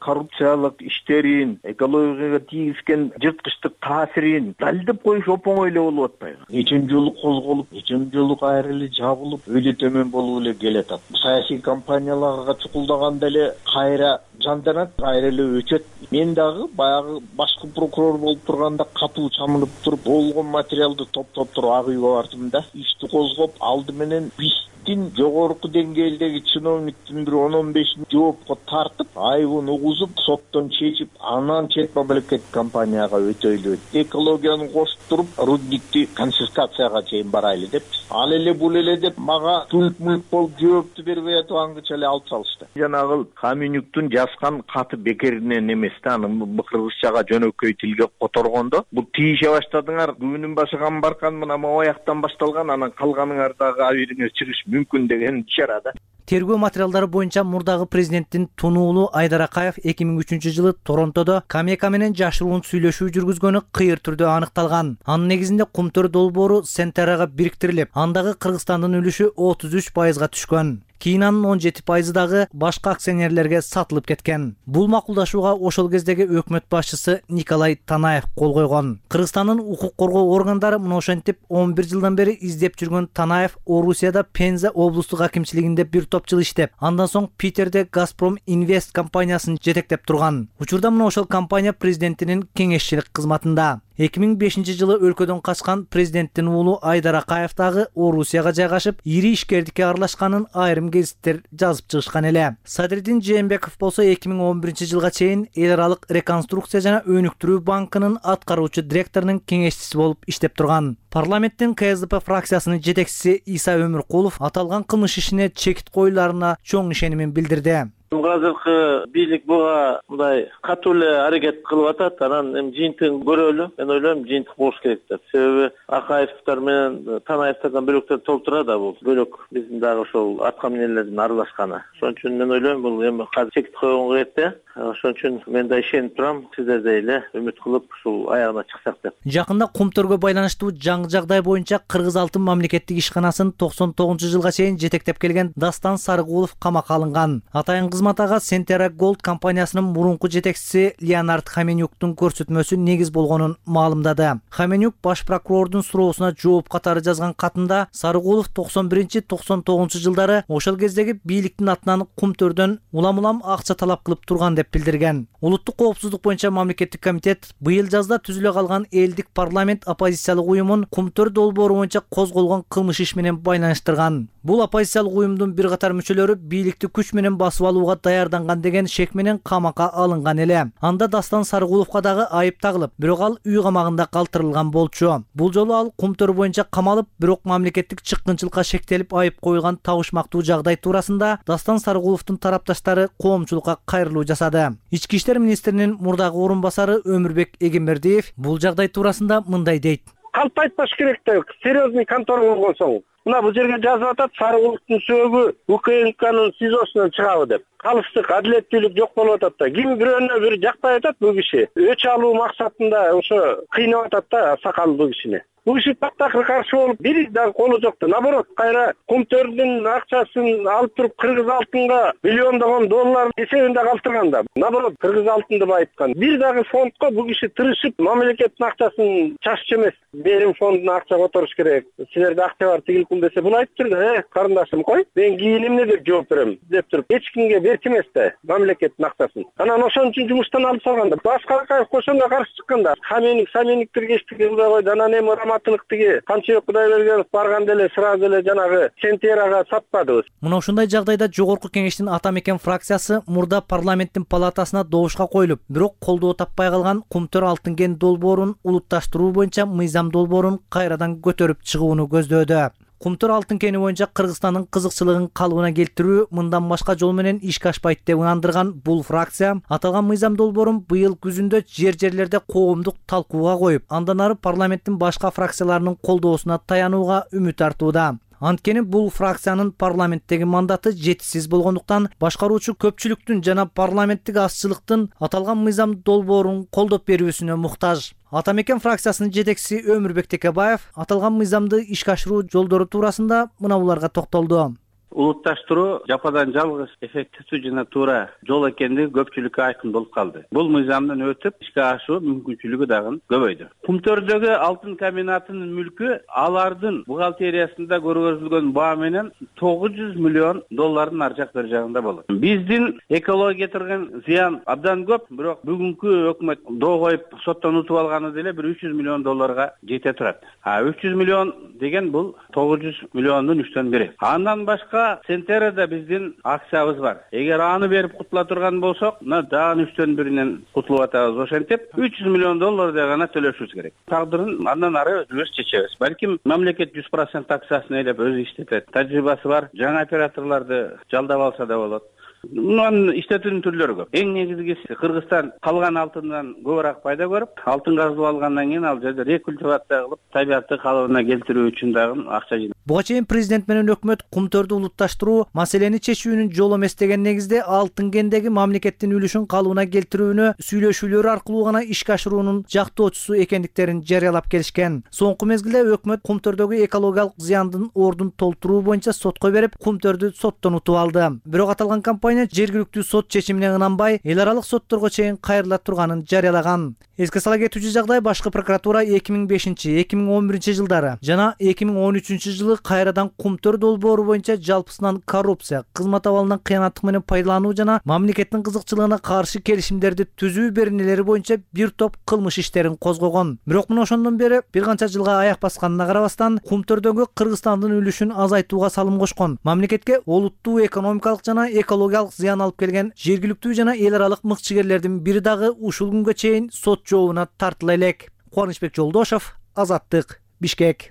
коррупциялык иштерин, экологияга тийгизген жырткычтык таасирин далилдеп коюш оп-оңой эле болуп атпайбы. Нечен жолу козголуп, нечен жолу кайра эле жабылып, өйдө төмөн болуп эле келатат. Саясий компанияларга чукулдаганда эле кайра жанданат, кайра эле өчөт. Мен дагы баягы башкы прокурор болуп турганда катуу чамынып туруп, болгон материалды топтоп туруп ак үйгө бардым да, ишти козгоп, алды менен биздин жогорку деңгээлдеги чиновниктин бир он он бешин жоопко тартып, айыбын угузуп, соттон чечип, анан чет мамлекеттик компанияга өтөйлү. Экологияны кошуп туруп, рудникти конфискацияга чейин барайлы деп, ал эле бул эле деп мага түлк-мүлк болуп жоопту бербей атып аңгыча эле алып салышты. Жанагы Хаменюктун жазган каты бекеринен эмес да, аны кыргызчага жөнөкөй тилге которгондо, бул тийише баштадыңар, күнүн башыган баркан мына могу аяктан башталган, анан калганыңар дагы абийириңер чыгыш мүмкүн деген ишара да. Тергөө материалдары боюнча мурдагы президенттин тунуулу Айдар Акаев эки миң үчүнчү жылы Торонтодо Камека менен жашыруун сүйлөшүү жүргүзгөнү кыйыр түрдө аныкталган. Анын негизинде Кумтөр долбоору Сентерага бириктирилип, андагы Кыргызстандын үлүшү отуз үч пайызга түшкөн. Кийин анын он жети пайызы дагы башка акционерлерге сатылып кеткен. Бул макулдашууга ошол кездеги өкмөт башчысы Николай Танаев кол койгон. Кыргызстандын укук коргоо органдары мына ошентип он бир жылдан бери издеп жүргөн Танаев Орусияда Пенза облустук акимчилигинде бир топ жыл иштеп, андан соң Питерде Газпром Инвест компаниясын жетектеп турган. Учурда мына ошол компания президентинин кеңешчилик кызматында. эки миң бешинчи жылы өлкөдөн качкан президенттин уулу Айдар Акаев дагы Орусияга жайгашып, ири ишкердикке аралашканын айрым гезиттер жазып чыгышкан эле. Садырдин Жээнбеков болсо эки миң он биринчи жылга чейин Эл аралык реконструкция жана өнүктүрүү банкынын аткаруучу директорунун кеңешчиси болуп иштеп турган. Парламенттин К С Д П фракциясынын жетекчиси Иса Өмүркулов аталган кылмыш ишине чекит коюларына чоң ишенимин билдирди. Азыркы бийлик буга мындай катуу эле аракет кылып атат, анан эми жыйынтыгын көрөлү. Мен ойлойм, жыйынтык болуш керек деп. Себеби Акаевдер менен Танаевдерден бөлөктөр толтура да бул. Бөлөк биздин дагы ошол аткаминерлердин аралашканы. Ошон үчүн мен ойлойм, бул эми казыр чекит койгонго кетти. Ошон үчүн мен да ишенип турам, сиздердей эле үмүт кылып ушул аягына чыксак деп. Жакында Кумтөргө байланыштуу жаңы жагдай боюнча Кыргыз Алтын мамлекеттик ишканасын токсон тогузунчу жылга чейин жетектеп келген Дастан Сарыгулов камакка алынган. Атайын кызматага Сентера Голд компаниясынын мурунку жетекчиси Леонард Хаменюктун көрсөтмөсү негиз болгонун маалымдады. Хаменюк баш прокурордун суроосуна жооп катары жазган катында Сарыгулов токсон биринчи токсон тогузунчу жылдары ошол кездеги бийликтин атынан Кумтөрдөн улам-улам акча талап кылып турган деп билдирген. Улуттук коопсуздук боюнча мамлекеттик комитет быйыл жазда түзүлө калган элдик парламент оппозициялык уюмун Кумтөр долбоору боюнча козголгон кылмыш иш менен байланыштырган. Бул оппозициялык уюмдун бир катар мүчөлөрү бийликти күч менен басып алууга даярданган деген шек менен камакка алынган эле. Анда Дастан Сарыгуловго дагы айып тагылып, бирок ал үй камагында калтырылган болчу. Бул жолу ал Кумтөр боюнча камалып, бирок мамлекеттик чыккынчылыкка шектелип айып коюлган табышмактуу жагдай туурасында Дастан Сарыгуловдун тарапташтары коомчулукка кайрылуу жасады. Ички иштер министринин мурдагы орун басары Өмүрбек Эгембердиев бул жагдай туурасында мындай дейт. Калп айтпаш керек да, серьезный контора болгон соң. Мына бул жерге жазып атат, Сарыгуловдун сөөгү У К М Кнын СИЗОсунан чыгабы деп. Калыштык адилеттүүлүк жок болуп атат да. Ким бирөөнө бир жакпай атат бул киши. Өч алуу максатында ошо кыйнап атат да сакал бул кишини. Бул киши тактакыр каршы болуп, бир дагы колу жок да. Наоборот, кайра Кумтөрдүн акчасын алып туруп Кыргыз Алтынга миллиондогон доллар эсебинде калтырган да. Наоборот, Кыргыз Алтынды байыткан. Бир дагы фондко бул киши тырышып, мамлекеттин акчасын чашчы эмес, берим фондуна акча которуш керек. Силерде акча бар, тигил кул десе, бул айтып турду, э, карындашым кой, мен кийин эмне деп жооп берем деп туруп, эч кимге берчү эмес да мамлекеттин акчасын. Анан ошон үчүн жумуштан алып салганда, башка ошонго каршы чыкканда, Хаменик, Самениктер кештиги кылбай койду, анан эми Раматылыктыги Канчыбек Кудайбергенов барганда эле сразу эле жанагы Сентерага сатпадыбыз. Мына ушундай жагдайда жогорку кеңештин ата мекен фракциясы мурда парламенттин палатасына добушка коюлуп, бирок колдоо таппай калган Кумтөр алтын кен долбоорун улутташтыруу боюнча мыйзам долбоорун кайрадан көтөрүп чыгууну көздөөдө. Кумтөр алтын кени боюнча Кыргызстандын кызыкчылыгын калыбына келтирүү мындан башка жол менен ишке ашпайт деп ынандырган бул фракция аталган мыйзам долбоорун быйыл күзүндө жер-жерлерде коомдук талкууга коюп, андан ары парламенттин башка фракцияларынын колдоосуна таянууга үмүт артууда. Анткени бул фракциянын парламенттеги мандаты жетишсиз болгондуктан башкаруучу көпчүлүктүн жана парламенттик азчылыктын аталган мыйзам долбоорун колдоп берүүсүнө муктаж. Ата мекен фракциясынын жетекчиси Өмүрбек Текебаев аталган мыйзамды ишке ашыруу жолдору туурасында мына буларга токтолду. Улутташтыруу жападан жалгыз эффективдүү жана туура жол экендиги көпчүлүккө айкын болуп калды. Бул мыйзамдын өтүп ишке ашуу мүмкүнчүлүгү дагы көбөйдү. Кумтөрдөгү алтын комбинатынын мүлкү алардын бухгалтериясында көргөзүлгөн баа менен тогуз жүз миллион доллардын ар жак бер жагында болот. Биздин экологияга келтирген зыян абдан көп, бирок бүгүнкү өкмөт доо коюп соттон утуп алганы деле бир үч жүз миллион долларга жете турат. А үч жүз миллион деген бул тогуз жүз миллиондун үчтөн бири. Андан башка Сентерада биздин акциябыз бар. Эгер аны берип кутула турган болсок, мына дагы үчтөн биринен кутулуп атабыз. Ошентип үч жүз миллион доллардай гана төлөшүбүз керек. Тагдырын андан ары өзүбүз чечебиз. Балким мамлекет жүз процент акциясын ээлеп өзү иштетет. Тажрыйбасы бар, жаңы операторлорду жалдап алса да болот. Мунун иштетүүнүн түрлөрү көп. Эң негизгиси Кыргызстан калган алтындан көбүрөөк пайда көрүп, алтын казып алгандан кийин ал жерде рекультивация кылып, табиатты калыбына келтирүү үчүн дагы акча жыйнайт. Буга чейин президент менен өкмөт кумтөрдү улутташтыруу маселени чечүүнүн жолу эмес деген негизде алтын кендеги мамлекеттин үлүшүн калыбына келтирүүнү сүйлөшүүлөр аркылуу гана ишке ашыруунун жактоочусу экендиктерин жарыялап келишкен. Соңку мезгилде өкмөт кумтөрдөгү экологиялык зыяндын ордун толтуруу боюнча сотко берип, кумтөрдү соттон утуп алды. Бирок аталган компания жергиликтүү сот чечимине ынанбай, эл аралык сотторго чейин кайрыла турганын жарыялаган. Эске сала кетүүчү жагдай башкы прокуратура эки миң бешинчи эки миң он биринчи жылдары жана эки миң он үчүнчү жылы кайрадан кумтөр долбоору боюнча жалпысынан коррупция, кызмат абалынан кыянаттык менен пайдалануу жана мамлекеттин кызыкчылыгына каршы келишимдерди түзүү беренелери боюнча бир топ кылмыш иштерин козгогон. Бирок мына ошондон бери бир канча жылга аяк басканына карабастан, кумтөрдөгү Кыргызстандын үлүшүн азайтууга салым кошкон. Мамлекетке олуттуу экономикалык жана экологиялык зыян алып келген жергиликтүү жана эл аралык мыкчыгерлердин бири дагы ушул күнгө чейин сот жообуна тартыла элек. Кубанычбек Жолдошов, Азаттык, Бишкек.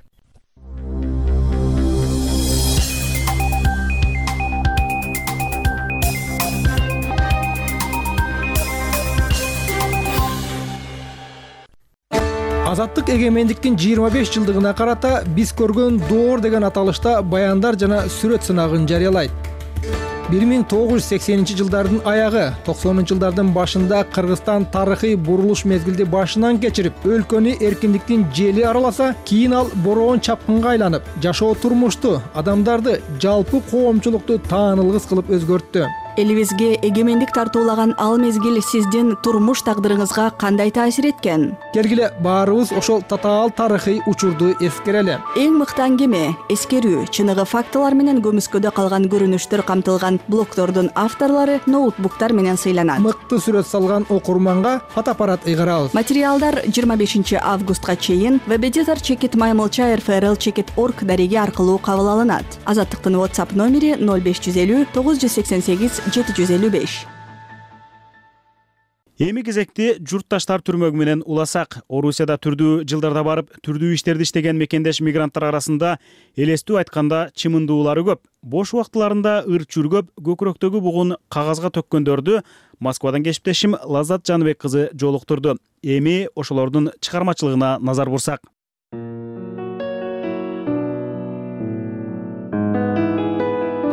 Азаттык эгемендиктин жыйырма беш жылдыгына карата биз көргөн доор деген аталышта баяндар жана сүрөт сынагын жарыялайт. бир миң тогуз жүз сексенинчи жылдардын аягы, токсонунчу жылдардын башында Кыргызстан тарыхый бурулуш мезгилди башынан кечирип, өлкөнү эркиндиктин жели араласа, кийин ал бороон чапкынга айланып, жашоо турмушту, адамдарды, жалпы коомчулукту таанылгыс кылып өзгөрттү. Элибизге эгемендик тартуулаган ал мезгил сиздин турмуш тагдырыңызга кандай таасир эткен? Келгиле баарыбыз ошол татаал тарыхый учурду эскерели. Эң мыкты аңгеме, эскерүү, чыныгы фактылар менен көмүскөдө калган көрүнүштөр камтылган блогдордун авторлору ноутбуктар менен сыйланат. Мыкты сүрөт салган окурманга фотоаппарат ыйгарабыз. Материалдар жыйырма бешинчи августка чейин веб-эдитор чекит маймылча эр эф эр эл чекит орг дареги аркылуу кабыл алынат. Азаттыктын WhatsApp номери ноль беш жүз элүү тогуз жүз сексен сегиз жети жүз элүү беш. Эми кезекти журтташтар түрмөгү менен уласак. Орусияда түрдүү жылдарда барып, түрдүү иштерди иштеген мекендеш мигранттар арасында элестүү айтканда чымындуулары көп. Бош убактыларында ыр чүргөп, көкүрөктөгү бугун кагазга төккөндөрдү Москвадан кесиптешим Лаззат Жаныбек кызы жолуктурду. Эми ошолордун чыгармачылыгына назар бурсак.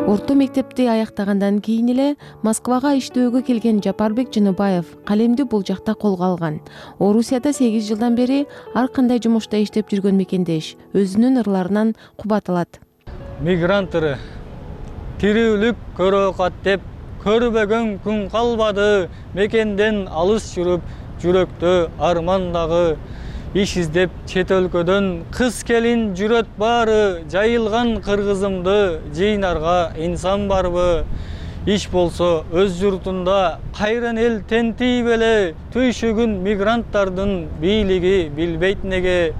Орто мектепти аяктагандан кийин эле Москвага иштөөгө келген Жапарбек Жыныбаев калемди бул жакта колго алган. Орусияда сегиз жылдан бери ар кандай жумушта иштеп жүргөн мекендеш өзүнүн ырларынан кубат алат. Мигранттары тирүүлүк көрөкат деп көрбөгөн күн калбады, мекенден алыс жүрүп, жүрөктө армандагы иш издеп чет өлкөдөн кыз келин жүрөт баары, жайылган кыргызымды жыйнарга инсан барбы? Иш болсо өз журтунда кайран эл тентий беле, түйшүгүн мигранттардын бийлиги билбейт неге?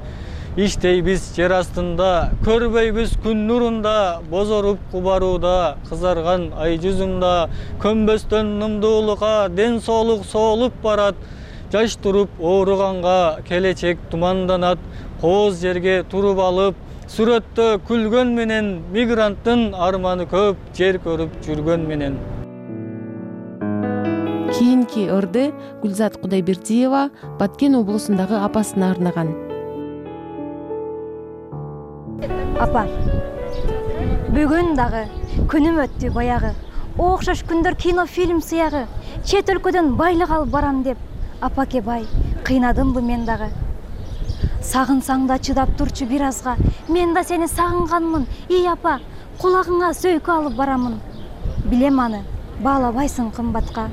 Иштейбиз жер астында, көрбөйбүз күн нурунда, бозоруп кубарууда, кызарган ай жүзүмда, көнбөстөн нымдуулукка ден соолук соолуп барат. Жаш туруп ооруганга келечек туманданат, кооз жерге туруп алып, сүрөттө күлгөн менен, мигранттын арманы көп, жер көрүп жүргөн менен. Кийинки ырды Гүлзат Кудайбердиева Баткен облусундагы апасына арнаган. Апа, Бүгүн дагы күнүм өттү баягы. Окшош күндөр кино фильм сыягы. Чет өлкөдөн байлык алып барам деп апаке бай кыйнадымбы мен дагы. Сагынсаң да чыдап турчу бир азга. Мен да сени сагынганмын. Ий апа, кулагыңа сөйкө алып барамын. Билем аны баалабайсың кымбатка.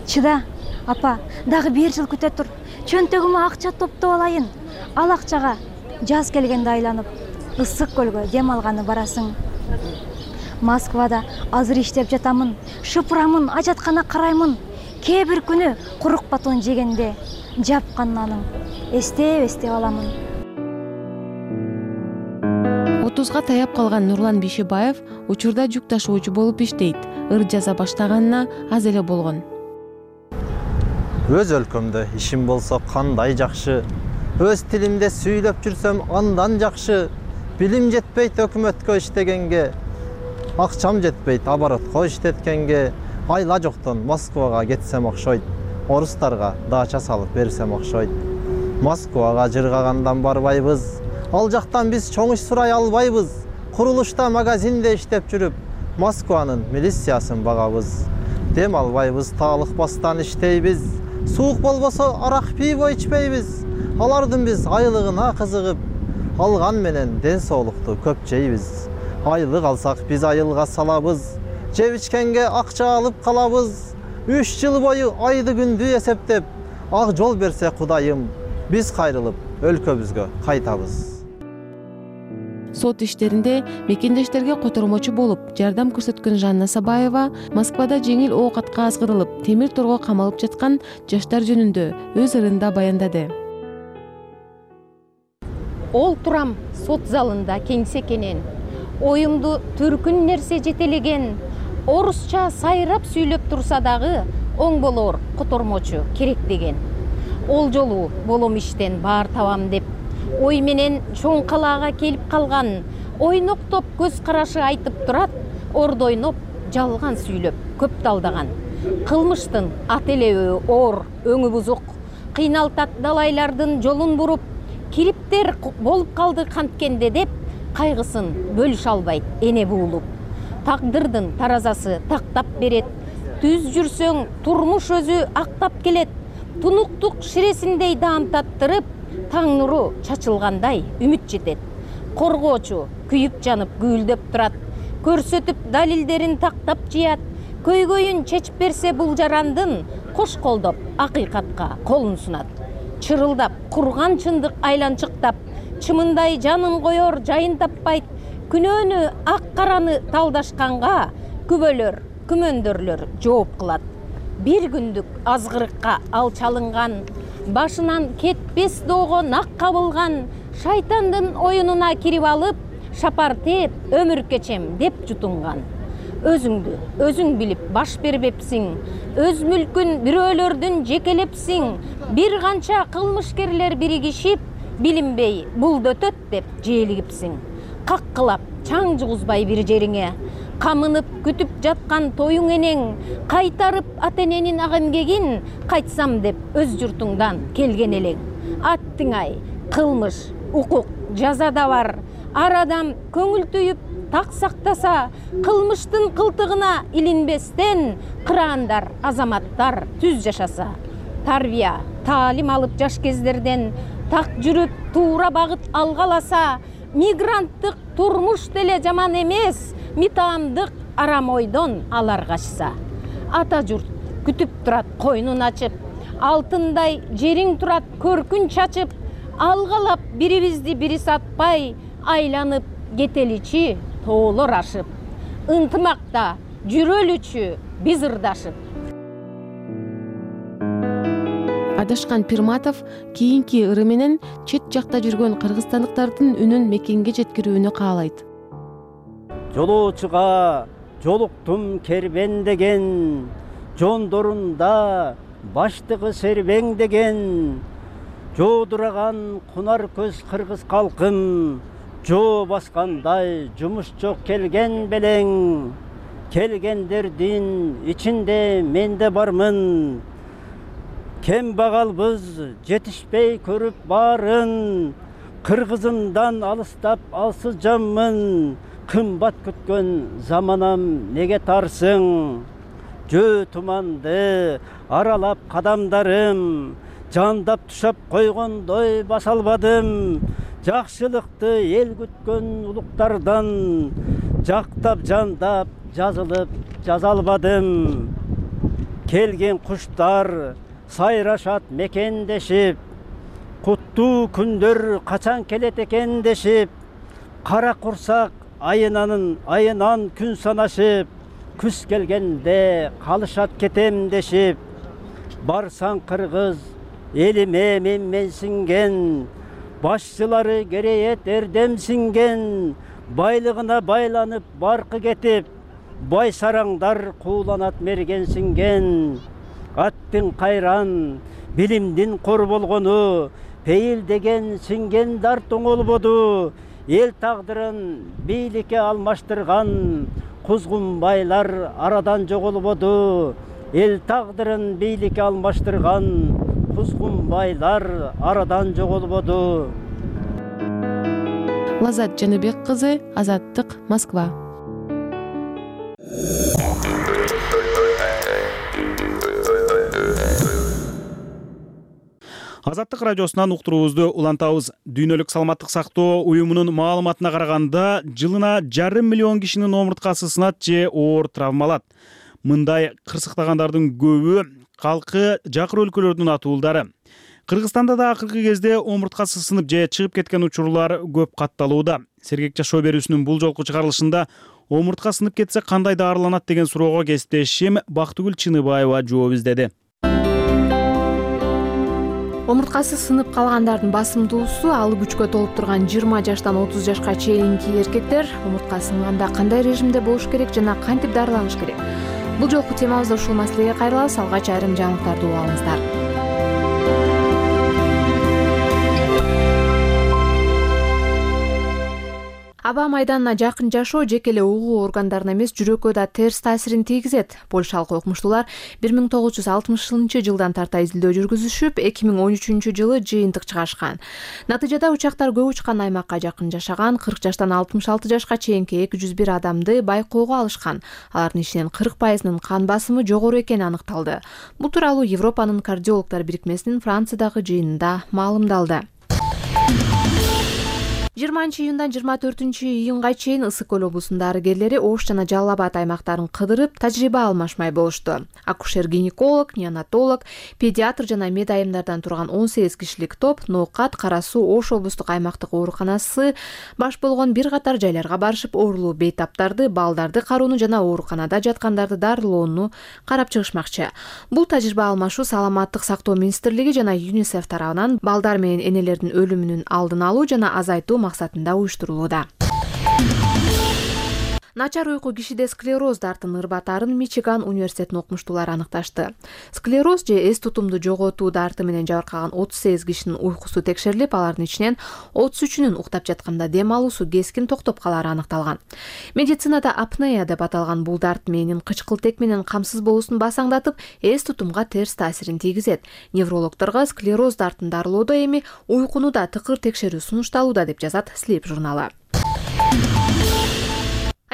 Чыда, апа, дагы бир жыл күтө тур. Чөнтөгүмө акча топтоп алайын. Ал акчага жаз келгенде айланып, ысык көлгө дем алганы барасың. Москвада азыр иштеп жатамын, шыпырамын, ажаткана караймын. Кээ бир күнү курук батон жегенде жапкан наның эстеп-эстеп аламын. отузга таяп калган Нурлан Бишибаев учурда жүк ташуучу болуп иштейт. Ыр жаза баштаганына аз эле болгон. Өз өлкөмдө ишим болсо кандай жакшы. Өз тилимде сүйлөп жүрсөм андан жакшы. Билим жетпейт өкмөткө иштегенге. Акчам жетпейт оборотко иштеткенге. Айла жоктон Москвага кетсем окшойт. Орустарга дача салып берсем окшойт. Москвага жыргагандан барбайбыз. Ал жактан биз чоң иш сурай албайбыз. Курулушта магазинде иштеп жүрүп, Москванын милициясын багабыз. Дем албайбыз, таалыкпастан иштейбиз. Суук болбосо арак пиво ичпейбиз. Алардын биз айлыгына кызыгып, алган менен ден соолукту көп жейбиз. Айлык алсак биз айылга салабыз. Жеп ичкенге акча алып калабыз. Үч жыл бою айды күндү эсептеп, ак жол берсе Кудайым, биз кайрылып өлкөбүзгө кайтабыз. Сот иштеринде мекендештерге котормочу болуп жардам көрсөткөн Жанна Сабаева Москвада жеңил оокатка азгырылып, темир торго камалып жаткан жаштар жөнүндө өз ырында баяндады. Ол турам сот залында кеңсекенен, оюмду түркүн нерсе жетелеген, орусча сайрап сүйлөп турса дагы оң болор котормочу керек деген. Ол жолу болом иштен баар табам деп, ой менен чоң калаага келип калган, ойноктоп көз карашы айтып турат, ордойноп жалган сүйлөп көп талдаган. Кылмыштын ат элеби оор, өңү бузук, кыйналтат далайлардын жолун буруп, кириптер болуп калды канткенде деп, кайгысын бөлүшө албайт эне буулуп. Тагдырдын таразасы тактап берет, түз жүрсөң турмуш өзү актап келет, тунуктук ширесиндей даамтаттырып, таң нуру чачылгандай үмүт жетет. Коргоочу күйүп жанып гүлдөп турат, көрсөтүп далилдерин тактап жыят, көйгөйүн чечип берсе бул жарандын, кош колдоп акыйкатка колун сунат. Чырылдап курган чындык айланчыктап, чымындай жанын коёр жайын таппайт, күнөөнү ак караны талдашканга күбөлөр, күмөндөрлөр жооп кылат. Бир күндүк азгырыкка ал чалынган, башынан кетпес доого нак кабылган, шайтандын оюнуна кирип алып, шапар тээп өмүр кечем деп жутунган. Өзүңдү өзүң билип баш бербепсиң, өз мүлкүн бирөөлөрдүн жекелепсиң, бир канча кылмышкерлер биригишип, билинбей булдөтөт деп жээлигипсиң. Каккылап чаң жугузбай бир жериңе, камынып күтүп жаткан тоюң энең, кайтарып ата эненин ак эмгегин, кайтсам деп өз журтуңдан келген элең. Аттың ай, кылмыш, укук, жаза да бар. Ар адам көңүл түйүп так сактаса, кылмыштын кылтыгына илинбестен, кыраандар, азаматтар түз жашаса. Тарбия, таалим алып жаш кездерден, так жүрүп туура багыт алгаласа, мигранттык турмуш деле жаман эмес, митаамдык арам ойдон алар качса. Ата журт күтүп турат койнун ачып, алтындай жериң турат көркүн чачып, алгалап бирибизди бири сатпай, айланып кетеличи тоолор ашып. Ынтымакта жүрөлүчү биз ырдашып. Адашкан Пирматов кийинки ыры менен чет жакта жүргөн кыргызстандыктардын үнүн мекенге жеткирүүнү каалайт. Жолоочуга жолуктум кербен деген, жондорунда баштыгы сербең деген, жоодураган кунар көз кыргыз калкым, жоо баскандай жумуш жок келген белең. Келгендердин ичинде мен де бармын, кем багалбыз жетишпей көрүп баарын, кыргызымдан алыстап алсыз жаммын, кымбат күткөн заманам неге тарсың? Жөө туманды аралап кадамдарым, жандап тушап койгондой баса албадым. Жакшылыкты эл күткөн улуктардан, жактап жандап жазылып жаза албадым. Келген куштар сайрашат мекендешип, куттуу күндөр качан келет экен дешип, кара курсак айынан айынан күн санашып, күз келгенде калышат кетем дешип. Барсаң кыргыз элиме менменсинген, башчылары керейет эрдемсинген, байлыгына байланып баркы кетип, бай сараңдар кууланат мергенсинген. Аттың кайран, билимдин кор болгону, пейил деген синген дарт оңолбоду. Эл тагдырын бийликке алмаштырган, кузгун байлар арадан жоголбоду. Эл тагдырын бийликке алмаштырган, кузгун байлар арадан жоголбоду. Лазат Жаныбек кызы, Азаттык, Москва. Азаттык радиосунан уктуруубузду улантабыз. Дүйнөлүк саламаттык сактоо уюмунун маалыматына караганда, жылына жарым миллион кишинин омурткасы сынат же оор травмалат. Мындай кырсыктагандардын көбү калкы жакыр өлкөлөрдүн атуулдары. Кыргызстанда да акыркы кезде омурткасы сынып же чыгып кеткен учурлар көп катталууда. Сергек жашоо берүүсүнүн бул жолку чыгарылышында омуртка сынып кетсе кандай даарыланат деген суроого кесиптешим Бактыгүл Чыныбаева жооп издеди. Омурткасы сынып калгандардын басымдуусу алып күчкө толуп турган жыйырма жаштан отуз жашка чейинки эркектер. Омуртка сынганда кандай режимде болуш керек жана кантип дарыланыш керек? Бул жолку темабызда ушул маселеге кайрылабыз. Алгач айрым жаңылыктарды угуп алыңыздар. Аба майданына жакын жашоо жеке эле угуу органдарына эмес, жүрөккө да терс таасирин тийгизет. Польшалык окумуштуулар бир миң тогуз жүз алтымышынчы жылдан тарта изилдөө жүргүзүшүп, эки миң он үчүнчү жылы жыйынтык чыгарышкан. Натыйжада учактар көп учкан аймакка жакын жашаган кырк жаштан алтымыш алты жашка чейинки эки жүз бир адамды байкоого алышкан. Алардын ичинен кырк пайызынын кан басымы жогору экени аныкталды. Бул тууралуу Европанын кардиологдор бирикмесинин Франциядагы жыйынында маалымдалды. жыйырманчы июндан жыйырма төртүнчү июнга чейин Ысык көл облусунун дарыгерлери Ош жана Жалал Абад аймактарын кыдырып, тажрыйба алмашмай болушту. Акушер-гинеколог, неонатолог, педиатр жана мед айымдардан турган он сегиз кишилик топ Ноокат, Кара Суу, Ош облустук аймактык ооруканасы баш болгон бир катар жайларга барышып, оорулуу бейтаптарды, балдарды кароону жана ооруканада жаткандарды дарылоону карап чыгышмакчы. Бул тажрыйба алмашуу Саламаттык сактоо министрлиги жана ЮНИСЕФ тарабынан балдар менен энелердин өлүмүнүн алдын алуу жана азайтуу максатында уюштурулууда. Начар уйку кишиде склероз дартын ырбатарын Мичиган университетинин окумуштуулары аныкташты. Склероз же эс тутумду жоготуу дарты менен жабыркаган отуз сегиз кишинин уйкусу текшерилип, алардын ичинен отуз үчүнүн уктап жатканда дем алуусу кескин токтоп калары аныкталган. Медицинада апнея деп аталган бул дарт мээнин кычкылтек менен камсыз болуусун басаңдатып, эс тутумга терс таасирин тийгизет. Неврологдорго склероз дартын дарылоодо эми уйкуну да тыкыр текшерүү сунушталууда деп жазат Sleep журналы.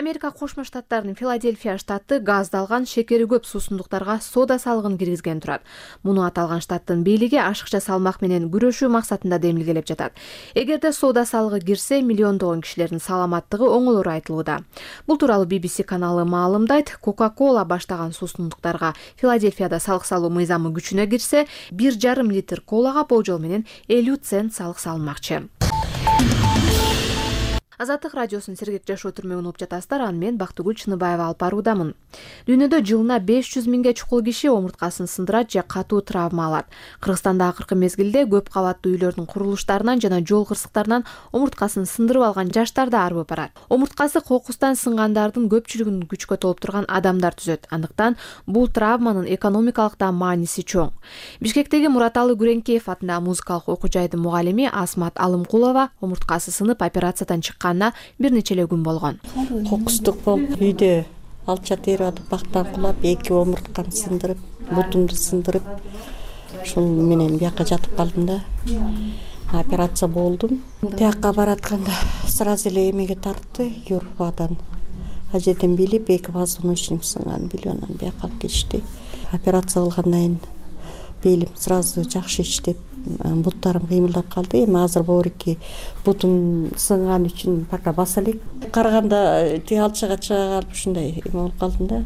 Америка Кошмо Штаттарынын Филадельфия штаты газдалган шекери көп суусундуктарга сода салыгын киргизген турат. Муну аталган штаттын бийлиги ашыкча салмак менен күрөшүү максатында демилгелеп жатат. Эгерде сода салыгы кирсе, миллиондогон кишилердин саламаттыгы оңолору айтылууда. Бул тууралуу би би си каналы маалымдайт. Кока-кола баштаган суусундуктарга Филадельфияда салык салуу мыйзамы күчүнө кирсе, бир жарым литр колага болжол менен элүү цент салык салынмакчы. Азаттык радиосунун Сергек жашоо түрмөгүн угуп жатасыздар. Аны мен Бактыгүл Чыныбаева алып баруудамын. Дүйнөдө жылына беш жүз миңге чукул киши омурткасын сындырат же катуу травма алат. Кыргызстанда акыркы мезгилде көп кабаттуу үйлөрдүн курулуштарынан жана жол кырсыктарынан омурткасын сындырып алган жаштар да арбып барат. Омурткасы кокустан сынгандардын көпчүлүгүн күчкө толуп турган адамдар түзөт. Андыктан бул травманын экономикалык да мааниси чоң. Бишкектеги Мураталы Күреңкеев атындагы музыкалык окуу жайдын мугалими Асмат Алымкулова омурткасы сынып операциядан чыккан бир нече эле күн болгон. Кокустук болуп үйдө алча терип бактан кулап, эки омурткамды сындырып, бутумду сындырып, ушул менен бияка жатып калдым да. операция болдум. Тияққа баратканда сразу эле эмеге тартты, юрбадан. А жерден билип эки позвоночник сынган, билип анан бияка алып кетишти. Операция кылгандан кийин белим сразу жакшы иштеп, буттарым кыймылдап калды. Эми азыр боорики бутум сынган үчүн пока баса элек. Караганда тиги алчага чыга калып ушундай эме болуп калдым да.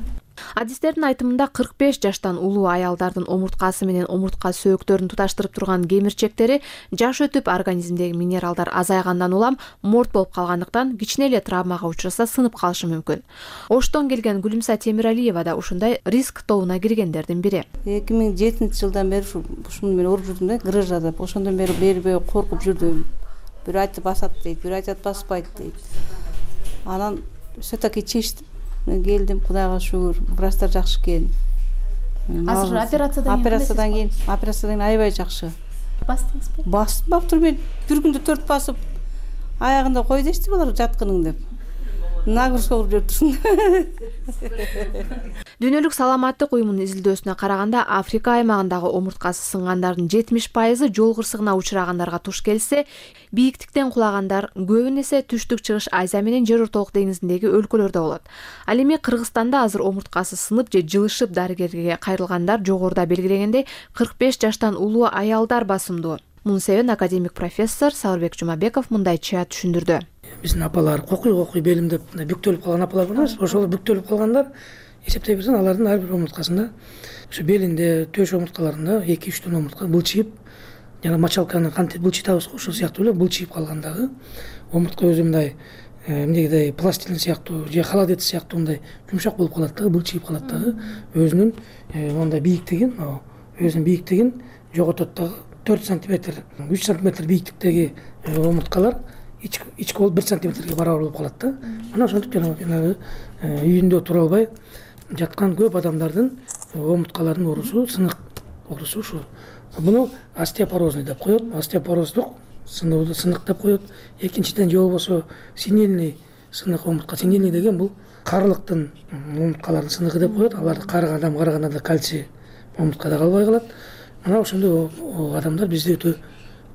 Адистердин айтымында кырк беш жаштан улуу аялдардын омурткасы менен омуртка сөөктөрүн туташтырып турган кемирчектери жаш өтүп организмдеги минералдар азайгандан улам морт болуп калгандыктан кичине эле травмага учураса сынып калышы мүмкүн. Оштон келген Гүлүмса Темиралиева да ушундай риск тобуна киргендердин бири. эки миң жетинчи жылдан бери ушуну менен ооруп жүрдүм да, грыжа деп. Ошондон бери бербей коркуп жүрдүм. Бир айтып басат дейт, бир айтат баспайт дейт. Анан все-таки чечтим. Мен келдим, Кудайга шүгүр, врачтар жакшы экен. Азыр операциядан операциядан кийин, операциядан кийин аябай жакшы. Бастыңызбы? Бастым, баптыр мен бир күндө төрт басып, аягында кой дешти булар жаткының деп. Нагрузка кылып жүрүптүрсүң. Дүйнөлүк саламаттык уюмунун изилдөөсүнө караганда, Африка аймагындагы омурткасы сынгандардын жетимиш пайызы жол кырсыгына учурагандарга туш келсе, бийиктиктен кулагандар көбүн эсе түштүк чыгыш Азия менен Жер ортолук деңизиндеги өлкөлөрдө болот. Ал эми Кыргызстанда азыр омурткасы сынып же жылышып дарыгерге кайрылгандар жогоруда белгилегендей кырк беш жаштан улуу аялдар басымдуу. Мунун себебин академик профессор Сауырбек Жумабеков мындайча түшүндүрдү. Биздин апалар кокуй кокуй белим деп бүктөлүп калган апалар бар эмес, ошол бүктөлүп калгандар эсептей берсең алардын ар бир омурткасында ошо белинде, төш омурткаларында эки үч тон омуртка былчыйып, жана мочалканы кантип былчытабыз го ошол сыяктуу эле былчыйып калгандагы омуртка өзү мындай эмнегидей пластилин сыяктуу же холодец сыяктуу мындай жумшак болуп калат дагы, былчыйып калат дагы, өзүнүн мондай бийиктигин, өзүнүн бийиктигин жоготот дагы. төрт сантиметр, үч сантиметр бийиктиктеги омурткалар ички болуп бир сантиметрге барабар болуп калат да. Мына ошентип жанагы үйүндө тура албай жаткан көп адамдардын омурткаларынын оорусу, сынык оорусу ушу. Буну остеопорозный деп коет, остеопороздук сынууда сынык деп коет. Экинчиден же болбосо синильный сынык омуртка. Синильный деген бул карылыктын омурткаларынын сыныгы деп коет. Аларды карыган адам караганда да кальций омурткада калбай калат. Мына ошондой адамдар бизде өтө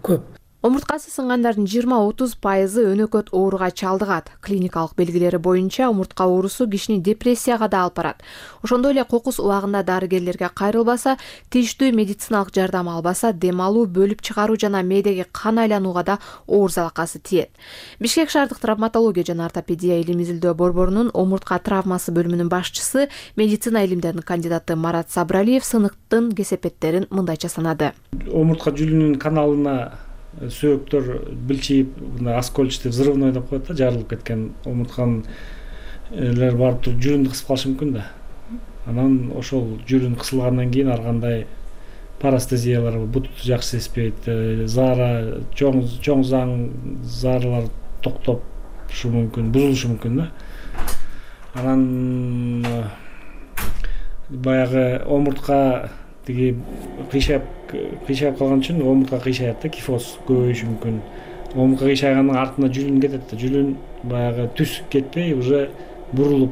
көп. Омурткасы сынгандардын жыйырма отуз пайызы өнөкөт ооруга чалдыгат. Клиникалык белгилери боюнча омуртка оорусу кишини депрессияга да алып барат. Ошондой эле кокус убагында дарыгерлерге кайрылбаса, тийиштүү медициналык жардам албаса, дем алуу, бөлүп чыгаруу жана мээдеги кан айланууга да оор залакасы тиет. Бишкек шаардык травматология жана ортопедия илим изилдөө борборунун омуртка травмасы бөлүмүнүн башчысы, медицина илимдеринин кандидаты Марат Сабыралиев сыныктын кесепеттерин мындайча санады. Омуртка жүлүнүн каналына сөөктөр билчип, оскольчатый взрывной деп коет да, жарылып кеткен омуртканын элер барып туруп жүрүндү кысып калышы мүмкүн да. Анан ошол жүрүн кысылгандан кийин ар кандай парастезиялар, бут жакшы сезбейт, заара, чоң чоң заң зааралар токтошу мүмкүн, бузулушу мүмкүн да. Анан баягы омуртка тиги кыйшап кыйшап калган үчүн омуртка кыйшаят да, кифоз көбөйүшү мүмкүн. Омуртка кыйшайганын артына жүлүн кетет да, жүлүн баягы түз кетпей уже бурулуп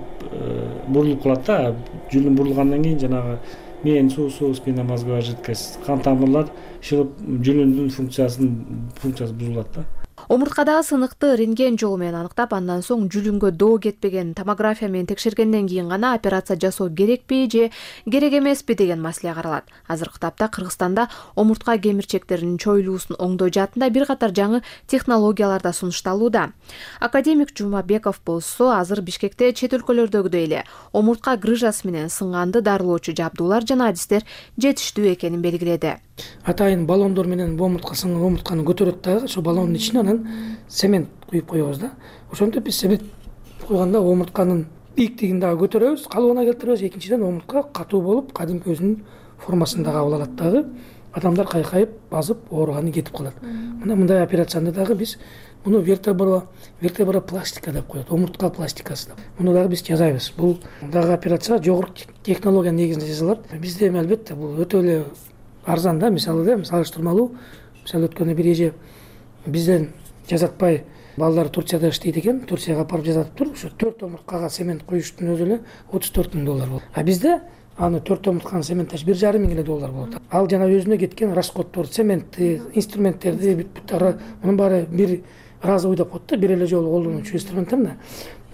бурулуп калат да. Жүлүн бурулгандан кийин жанагы мээни суусу, спинномозговая жидкость, кан тамырлар шылып жүлүндүн функциясын функциясы бузулат да. Омурткадагы сыныкты рентген жолу менен аныктап, андан соң жүлүнгө доо кетпеген томография менен текшергенден кийин гана операция жасоо керекпи же керек эмеспи деген маселе каралат. Азыркы тапта Кыргызстанда омуртка кемирчектеринин чоюлуусун оңдоо жаатында бир катар жаңы технологиялар да сунушталууда. Академик Жумабеков болсо азыр Бишкекте чет өлкөлөрдөгүдөй эле омуртка грыжасы менен сынганды дарылоочу жабдуулар жана адистер жетиштүү экенин белгиледи. Атайын баллондор менен омуртка сынган омуртканы көтөрөт дагы, ошо баллондун ичине анан цемент куюп коебуз да. Ошентип биз цемент куйганда омуртканын бийиктигин дагы көтөрөбүз, калыбына келтиребиз. Экинчиден омуртка катуу болуп, кадимки өзүнүн формасын дагы кабыл алат дагы. Адамдар кайкайып, базып, ооруганы кетип калат. Мына мындай операцияны дагы биз муну вертебра вертебропластика деп коет, омуртка пластикасы деп. Муну дагы биз жасайбыз. Бул дагы операция жогорку технология негизинде жасалат. Бизде эми албетте бул өтө эле арзан да, мисалы да, салыштырмалуу. Мисалы өткөндө бир эже бизден жасатпай балдар Турцияда иштейт экен, Турцияга апарып жасатып туруп, ушу төрт омурткага цемент коюштун өзү эле отуз төрт миң доллар болот. А бизде аны төрт омуртканын цементташ бир жарым миң эле доллар болот. Ал жана өзүнө кеткен расходторду, цементти, инструменттерди бүт мунун баары бир разовый деп коет да, бир эле жолу колдонуучу инструменттерди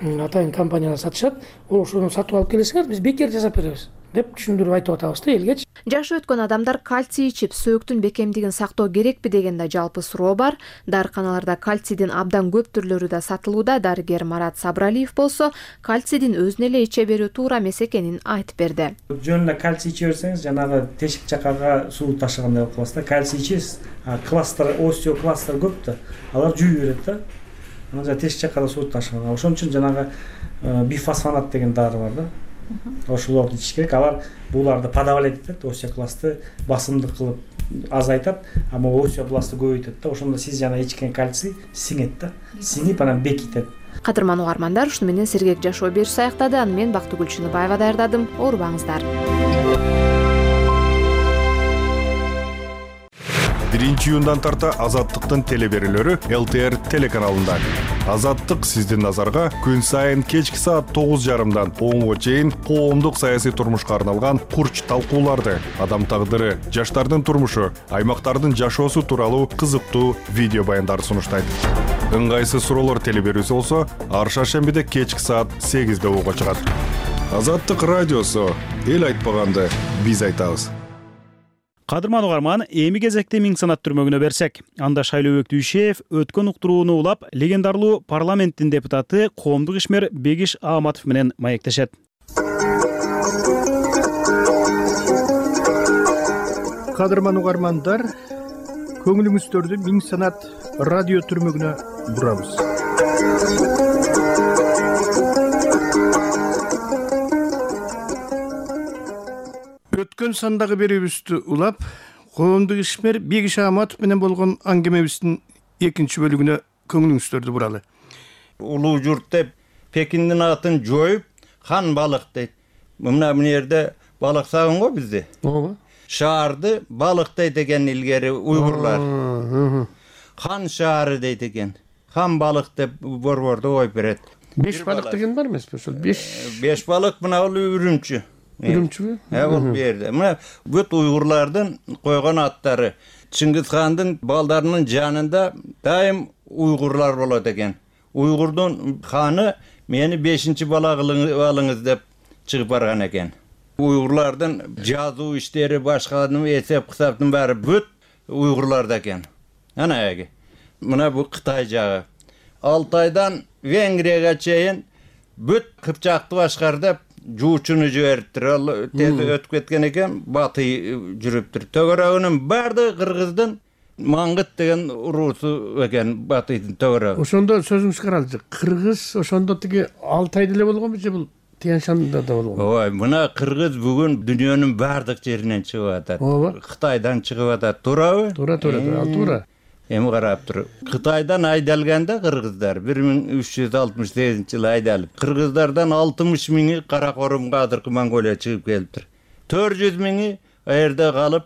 атайын компаниялар сатышат. Ошону сатып алып келесиңер, биз бекер жасап беребиз деп түшүндүрүп айтып атабыз да элгечи. Жашы өткөн адамдар кальций ичип сөөктүн бекемдигин сактоо керекпи деген да жалпы суроо бар. Дарыканаларда кальцийдин абдан көп түрлөрү да сатылууда. Дарыгер Марат Сабыралиев болсо кальцийдин өзүнө эле иче берүү туура эмес экенин айтып берди. Жөн эле кальций иче берсеңиз, жанагы тешик жакага суу ташыгандай болуп каласыз да. Кальций ичесиз, кластер, остеокластер көп да. Алар жүйү берет да. Анан жана тешик жакада суу ташыган. Ошон үчүн жанагы бифосфонат деген дары бар да. Ошолорду ичиш керек. Алар буларды подавлять этет, остеокластты басымдык кылып азайтат, ама остеобластты көбөйтөт да. Ошондо сиз жана ичкен кальций сиңет да. Сиңип анан бекитет. Кадырман угармандар, ушуну менен сергек жашоо бериши аяктады. Аны мен Бактыгүл Чыныбаева даярдадым. Оорубаңыздар. Биринчи июндан тарта Азаттыктын телеберүүлөрү эл тэ эр телеканалында. Азаттык сиздин назарга күн сайын кечки саат тогуз жарымдан онго чейин коомдук саясий турмушка арналган курч талкууларды, адам тагдыры, жаштардын турмушу, аймактардын жашоосу тууралуу кызыктуу видео баяндарды сунуштайт. Ыңгайсыз суроолор телеберүүсү болсо, ар шаршембиде кечки саат сегизде ого чыгат. Азаттык радиосу, эл айтпаганды биз айтабыз. Кадырман угарман, эми кезекте Миң санат түрмөгүнө берсек. Анда Шайлообек Дүйшеев өткөн уктурууну улап, легендарлуу парламенттин депутаты коомдук ишмер Бегиш Ааматов менен маектешет. Кадырман угармандар, көңүлүңүздөрдү Миң санат радио түрмөгүнө бурабыз. Өткөн сандагы берүүбүздү улап, коомдук ишмер Бегиш Ааматов менен болгон аңгемебиздин экинчи бөлүгүнө көңүлүңүздөрдү буралы. Улуу журт деп Пекиндин атын жоюп, хан балык дейт. Мына мына жерде балык сагын го бизде. Ооба. Шаарды балык дейт экен илгери уйгурлар. Хан шаары дейт экен. Хан балык деп борбордо коюп берет. Беш балык деген бар эмеспи? Ошол беш беш балык мына ул үрүмчү. Үрүмчүбү? Э, бул берди. Мына бүт уйгурлардын койгон аттары. Чыңгыз хандын балдарынын жанында дайым уйгурлар болот экен. Уйгурдун ханы мени бешинчи бала алыңыз деп чыгып барган экен. Уйгурлардын жазуу иштери, башканын эсеп кысаптын баары бүт уйгурларда экен. Ана эги. Мына бу Кытай жагы. Алтайдан Венгрияга чейин бүт Кыпчакты башкар деп жуучуну жибериптир. Ал тез өтүп кеткен экен, батый жүрүптүр. Төгөрөгүнүн баардыгы кыргыздын Маңгыт деген уруусу экен, батыйдын төгөрөгү. Ошондо сөзүңүз каралды. Кыргыз ошондо тиги Алтайда эле болгонбу же бул Тянь-Шанда да болгон? Ой, мына кыргыз бүгүн дүйнөнүн баардык жеринен чыгып атат. Ооба. Кытайдан чыгып атат, туурабы? Туура, туура, ал туура. Эми карап тур. Кытайдан айдалганда кыргыздар бир миң үч жүз алтымыш сегизинчи жылы айдалып, кыргыздардан алтымыш миңи Каракорумга азыркы Монголия чыгып келиптир. төрт жүз миңи аерде калып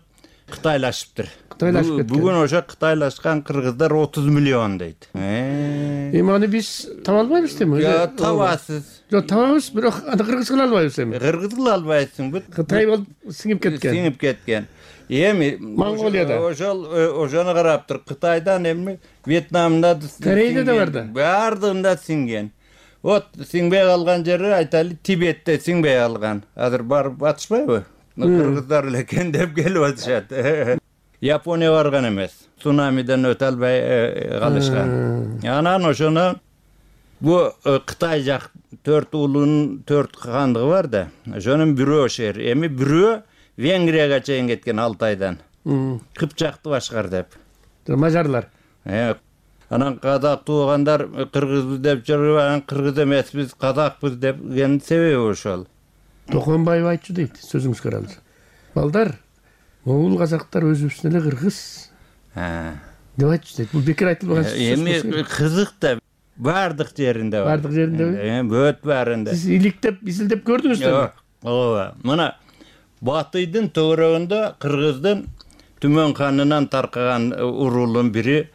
кытайлашыптыр. Кытайлашып кеткен. Бүгүн ошо кытайлашкан кыргыздар отуз миллион дейт. Эми аны биз таба албайбыз деми? Жок, табасыз. Жок, табабыз, бирок аны кыргыз кыла албайбыз эми. Кыргыз кыла албайсың, бүт Кытай болуп сиңип кеткен. Сиңип кеткен. Эми Монголияда ошол ошону карап тур. Кытайдан эми Вьетнамда, Кореяда да бар да. Баардыгында сиңген. Вот сиңбей калган жери айталы Тибетте сиңбей калган. Азыр барып атышпайбы? Кыргыздар эле экен деп келип атышат. Япония барган эмес. Цунамиден өтө албай калышкан. Анан ошону бу Кытай жак төрт уулунун төрт хандыгы бар да. Ошонун бирөө шер. Эми бирөө Венгрияга чейин кеткен Алтайдан. Кыпчакты башкар деп. Мажарлар. Э, анан казак туугандар кыргызбыз деп жүрүп, анан кыргыз эмеспиз, казакпыз деген себеби ошол. Токонбаев айтчу дейт, сөзүңүз каралды. Балдар, могул казактар өзүбүздүн эле кыргыз. Ha. Деп айтчу дейт. Бул бекер айтылбаган сөз. Эми кызык да баардык жеринде бар. Баардык жеринде. Э, бөт баарында. Сиз иликтеп, изилдеп көрдүңүзбү? Ооба. Мына батыйдын төгөрөгүндө кыргыздын Түмөн ханынан таркаган уруулун бири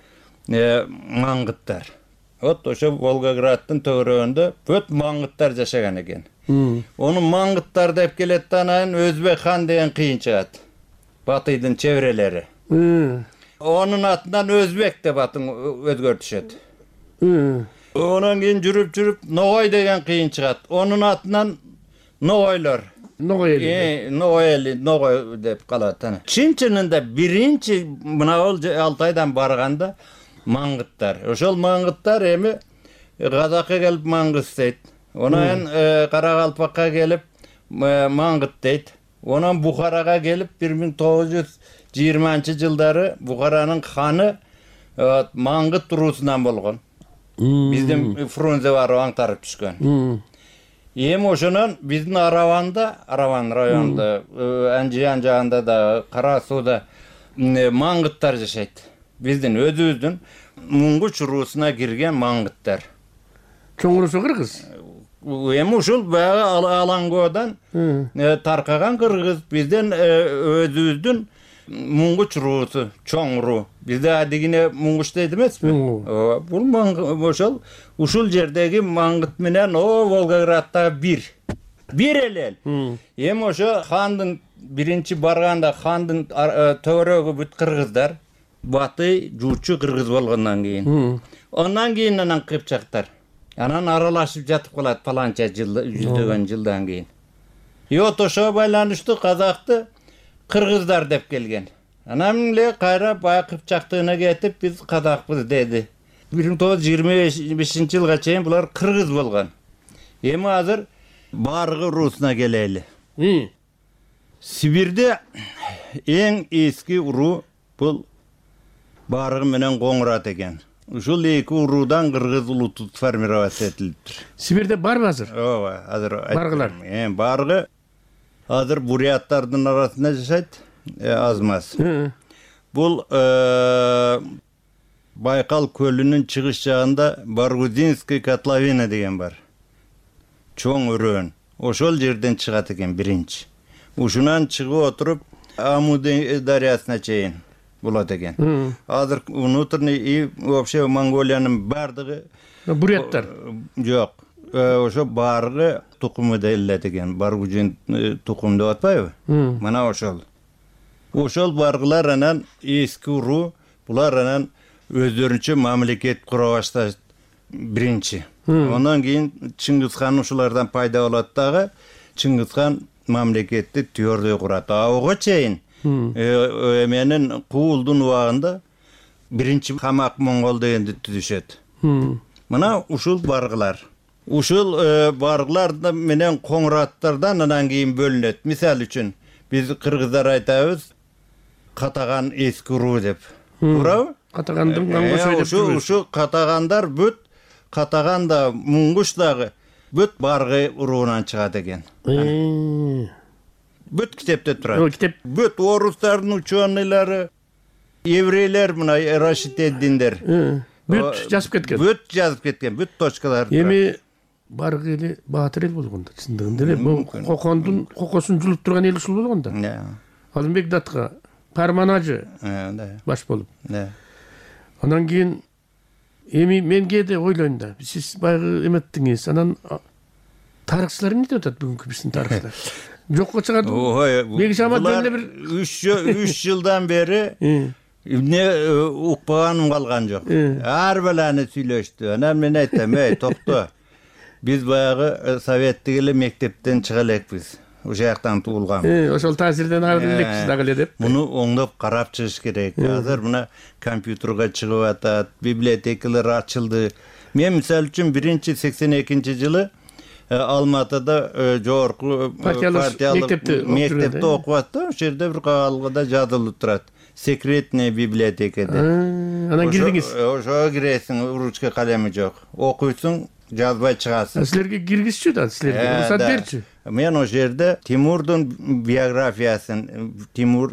Маңгыттар. вот ошо Волгограддын төгөрөгүндө бүт маңгыттар жашаган экен. Ону маңгыттар деп келет да, анан Өзбек хан деген кыйын чыгат. Батыйдын чеберелери. Онун атынан Өзбек деп атын өзгөртүшөт. Онан кийин жүрүп-жүрүп Ногой деген кыйын чыгат. Онун атынан Ногойлор. Ногой эли. Ногой эли, Ногой деп калат. Чын чынында биринчи мына ол Алтайдан барганда маңгыттар. Ошол маңгыттар эми Казакка келип маңгыс дейт. Онан Каракалпакка келип маңгыт дейт. Онан Бухарага келип бир миң тогуз жүз жыйырманчы жылдары Бухаранын ханы маңгыт уруусунан болгон. Биздин Фрунзе барып аңтарып түшкөн. Эми ошонон биздин Араванда, Араван районунда, Анжиян жагында да, Кара сууда маңгыттар жашайт. Биздин өзүбүздүн Муңгуч уруусуна кирген маңгыттар. Чоң уруусу кыргыз? Эми ушул баягы Алаңгоодон таркаган кыргыз, бизден өзүбүздүн Муңгуч уруусу, чоң уруу. Бизде адигине Муңгуч дейт эмеспи? Бул ошол ушул жердеги маңгыт менен о Волгоградда бир. Бир эле. Эми ошо хандын биринчи барганда хандын төгөрөгү бүт кыргыздар, Батый жуучу кыргыз болгондон кийин. Ондан кийин анан кыпчактар. Анан аралашып жатып калат паланча жыл, жүздөгөн жылдан кийин. И вот ошого байланыштуу казакты кыргыздар деп келген. Анан эле кайра баягы кыпчактыгына кетип биз казакпыз деди. бир миң тогуз жүз жыйырма бешинчи жылга чейин булар кыргыз болгон. Эми азыр Баргы уруусуна келели. Сибирде эң эски уруу бул Баргы менен Коңурат экен. Ушул эки уруудан кыргыз улуту сформироваться этилиптир. Сибирде барбы азыр? Ооба, азыр Баргылар. Эми Баргы азыр буряттардын арасында жашайт, аз-маз. Бул Байкал көлүнүн чыгыш жагында Баргузинский котловина деген бар. Чоң өрөөн. Ошол жерден чыгат экен биринчи. Ушунан чыгып отуруп Аму дарыясына чейин болот экен. Азыр внутренний и вообще Монголиянын бардыгы буряттар. Жок. Ошо Баргы тукуму делет экен. Баргузин тукум деп атпайбы? Мына ошол. Ошол баргылар анан эски уруу, булар анан өздөрүнчө мамлекет кура башташт биринчи. Ондан кийин Чыңгыз хан ушулардан пайда болот дагы, Чыңгыз хан мамлекетти түйөрдөй курат. Ага чейин эменин Куулдун убагында биринчи Камак Монгол дегенди түзүшөт. Мына ушул баргылар. Ушул баргылар менен Коңураттардан анан кийин бөлүнөт. Мисалы үчүн биз кыргыздар айтабыз Катаган эски уруу деп. Туурабы? Катагандын кангосой деп жүрөбүз. Ушу Катагандар бүт Катаган да Муңгуч дагы бүт Баргы уруунан чыгат экен. Бүт китепте турат. Бүт орустардын ученыйлары, еврейлер мына Рашид эд-Диндер. Бүт жазып кеткен. Бүт жазып кеткен, бүт точкалар. Эми Баргы эли баатыр эл болгондо, чындыгында эле бул Кокондун кокосун жулуп турган эл ушул болгондо. Алымбек Датка Карманажы баш болуп. Анан кийин эми мен кээде ойлойм да, сиз баягы эметтиңиз, анан тарыхчылар эмне деп атат бүгүнкү биздин тарыхчылар? Жокко чыгат. Беги Шамат эле бир үч жылдан бери эмне укпаганым калган жок. Ар баланы сүйлөштү. Анан мен айттым, эй, токто. Биз баягы советтик эле мектептен чыга элекпиз. Ошол жактан туулган. Ошол таасирден ары элекпиз дагы эле деп. Муну оңдоп карап чыгыш керек. Азыр мына компьютерге чыгып атат, библиотекалар ачылды. Мен мисалы үчүн биринчи сексен экинчи жылы Алматыда жогорку партиялык мектепте окуп аттым. Ошол жерде бир кагалгыда жазылып турат. Секретная библиотека деп. Анан кирдиңиз. Ошого киресиң, ручка калеми жок. Окуйсуң, жазбай чыгасың. Силерге киргизчү да, силерге уруксат берчү. Мен ошол жерде Тимурдун биографиясын, Тимур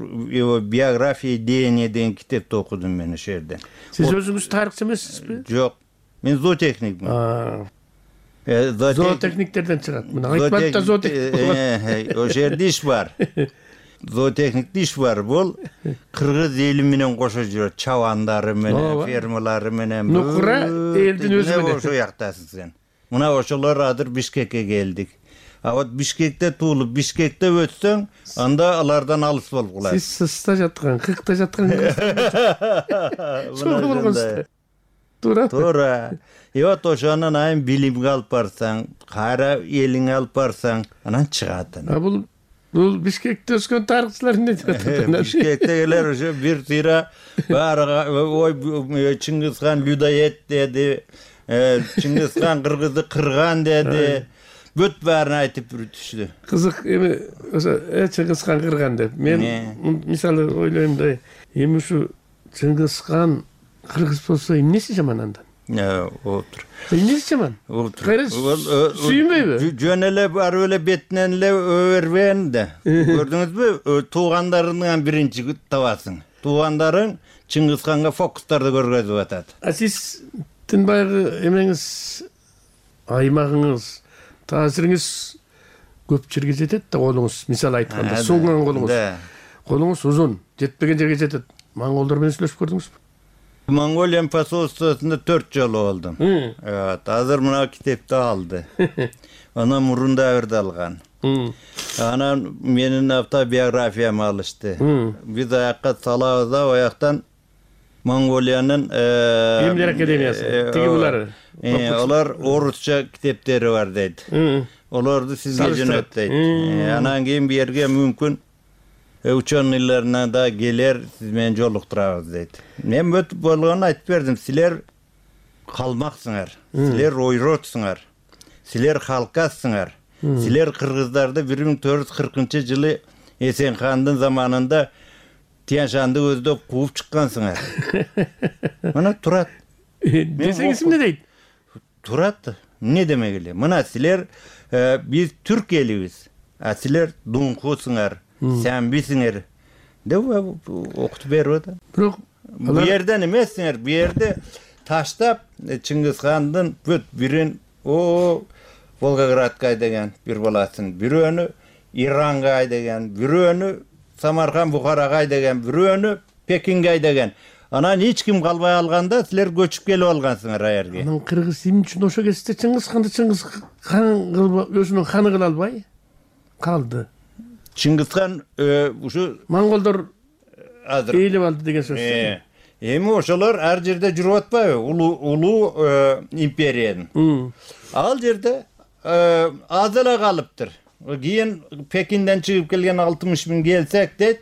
биография деяния деген китепти окудум мен ошол жерде. Сиз өзүңүз тарыхчы эмессизби? Жок. Мен зоотехникмин. Зоотехниктерден чыгат. Мына айтпадып да зоотехник. Ошол жерде иш бар. зоотехниктик иш бар. Бул кыргыз эли менен кошо жүрөт. Чабандары менен, фермалары менен. Нукура элдин өзү менен. Ошо жактасың сен. Мына ошолор азыр Бишкекке келдик. А вот Бишкекте туулуп, Бишкекте өтсөң, анда алардан алыс болуп калат. Сиз сыста жаткан, кыркта жаткан. Чоң болгонсуз. Туура. Туура. И вот ошонун айын билимге алып барсаң, кайра элиңе алып барсаң, анан чыгат. А бул бул Бишкекте өскөн тарыхчылар эмне деп атат? Бишкектегилер ошо бир тыйра баарыга ой Чыңгызхан людоед деди, Чыңгызхан кыргызды кырган деди. Бүт баарын айтып бүтүштү. Кызык эми ошо Чыңгызхан кырган деп. Мен мисалы ойлойм да, эми ушу Чыңгызхан кыргыз болсо эмнеси жаман андан? Отур. Эмнеси жаман? Кайра сүйүнбөйбү? Жөн эле барып эле бетинен эле өрбөөн да. Көрдүңүзбү? Туугандарыңан биринчи табасың. Туугандарың Чыңгызханга фокустарды көргөзүп атат. А сиздин баягы эмеңиз, аймагыңыз, таасириңиз көп жерге жетет да колуңуз. Мисалы айтканда, сунган колуңуз. Колуңуз узун, жетпеген жерге жетет. Монголдор менен сүйлөшүп көрдүңүзбү? Монголия посольствосунда төрт жолу болдум. Evet, азыр мына китепти алды. Анан мурун дабырды алган. Анан менин автобиографиямды алышты. Биз аякка салабыз да, аяктан Монголиянын Эмилер академиясы, тиги булары. Олар орусча китептери бар дейт. Олорду сизге жөнөт дейт. Анан кийин бу жерге мүмкүн ученыйларына да келер, сиз менен жолуктурабыз дейт. Мен өтүп болгонун айтып бердим. Силер калмаксыңар, силер ойротсуңар, силер халкасыңар. Силер кыргыздарды бир миң төрт жүз кыркынчы жылы Эсенхандын заманында Тянь-Шанды көздөп кууп чыккансыңар. Мына турат. Десеңиз эмне дейт? Турат. Эмне демек эле? Мына силер биз түрк элибиз, а силер дуңкусуңар, сәнбисиңер деп окутуп берип атат. Бирок бу жерден эмессиңер, бу жерде таштап Чыңгызхандын бүт бирин о Волгоградка айдаган бир баласын, бирөөнү Иранга айдаган, бирөөнү Самарканд Бухарага айдаган, бирөөнү Пекинге айдаган. Анан эч ким калбай алганда силер көчүп келип алгансыңар аерге. Анан кыргыз эмне үчүн ошо кезде Чыңгызханды Чыңгызхан кылып өзүнүн ханы кыла албай калды? Чыңгызхан ушу монголдор азыр ээлеп алды деген сөз. Эми ошолор ар жерде жүрүп атпайбы? Улуу улуу империянын. Ал жерде аз эле калыптыр. Кийин Пекинден чыгып келген алтымыш миң келсек дейт,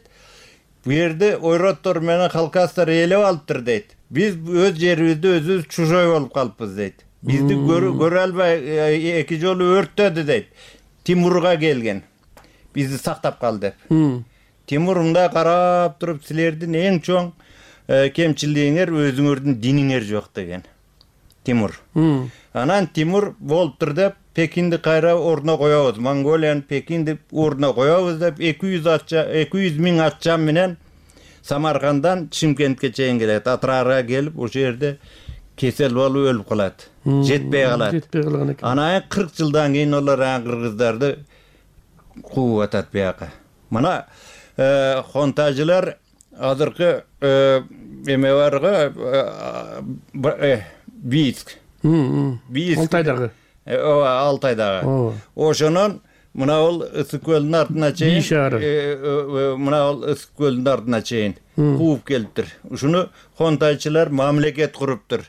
бу жерде ойроттор менен халкастар ээлеп алыптыр дейт. Биз өз жерибизде өзүбүз чужой болуп калыппыз дейт. Бизди көрө албай эки жолу өрттөдү дейт. Тимурга келген. Бизди сактап кал деп. Тимур мындай карап туруп, силердин эң чоң кемчилигиңер өзүңөрдүн диниңер жок деген. Тимур. Анан Тимур болуптур деп Пекинди кайра ордуна коебуз. Монголиянын Пекинди ордуна коебуз деп эки жүз миң атчан менен Самаркандан Чимкентке чейин келет. Атрарга келип, ошол жерде кесел болуп өлүп калат. Жетпей калат. Жетпей калган экен. Анан кырк жылдан кийин олар кыргыздарды кууп атат бияка. Мына хонтажылар азыркы эме барга Бийск. Бийск. Алтайдагы. Ооба, Алтайдагы. Ошонун мына ол Ысык көлүнүн артына чейин, мына ол Ысык көлүнүн артына чейин кууп келиптир. Ушуну хонтайчылар мамлекет куруптур.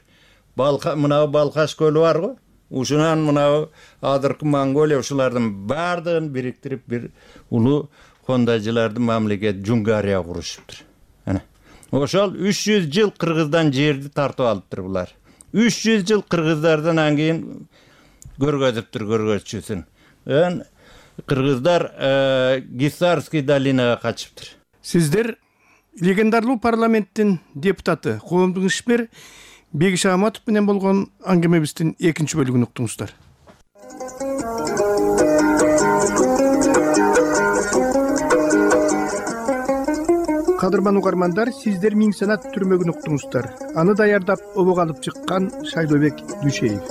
Мына Балкаш көлү барго? Ушунан мына азыркы Монголия ушулардын баардыгын бириктирип бир улуу хонтайчылардын мамлекет Джунгария курушуптур. Ana. Ошол үч жүз жыл кыргыздан жерди тартып алыптыр булар. үч жүз жыл кыргыздардан анан кийин көргөзүптүр көргөзчүсүн. Ан кыргыздар Гисарский долинага качыптыр. Сиздер легендарлуу парламенттин депутаты, коомдук ишмер Бегиш Аматов менен болгон аңгемебиздин экинчи бөлүгүн уктуңуздар. Кадырман угармандар, сиздер Миң санат түрмөгүн уктуңуздар. Аны даярдап обого алып чыккан Шайлообек Дүйшеев.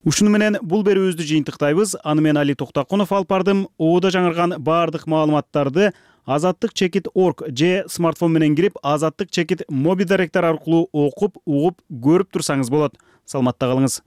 Ушуну менен бул берүүбүздү жыйынтыктайбыз. Аны мен Али Токтокунов алып бардым. Ободо жаңырган баардык маалыматтарды азаттык чекит точка орг же смартфон менен кирип азаттык чекит моби директор аркылуу окуп, угуп, көрүп турсаңыз болот. Саламатта калыңыз.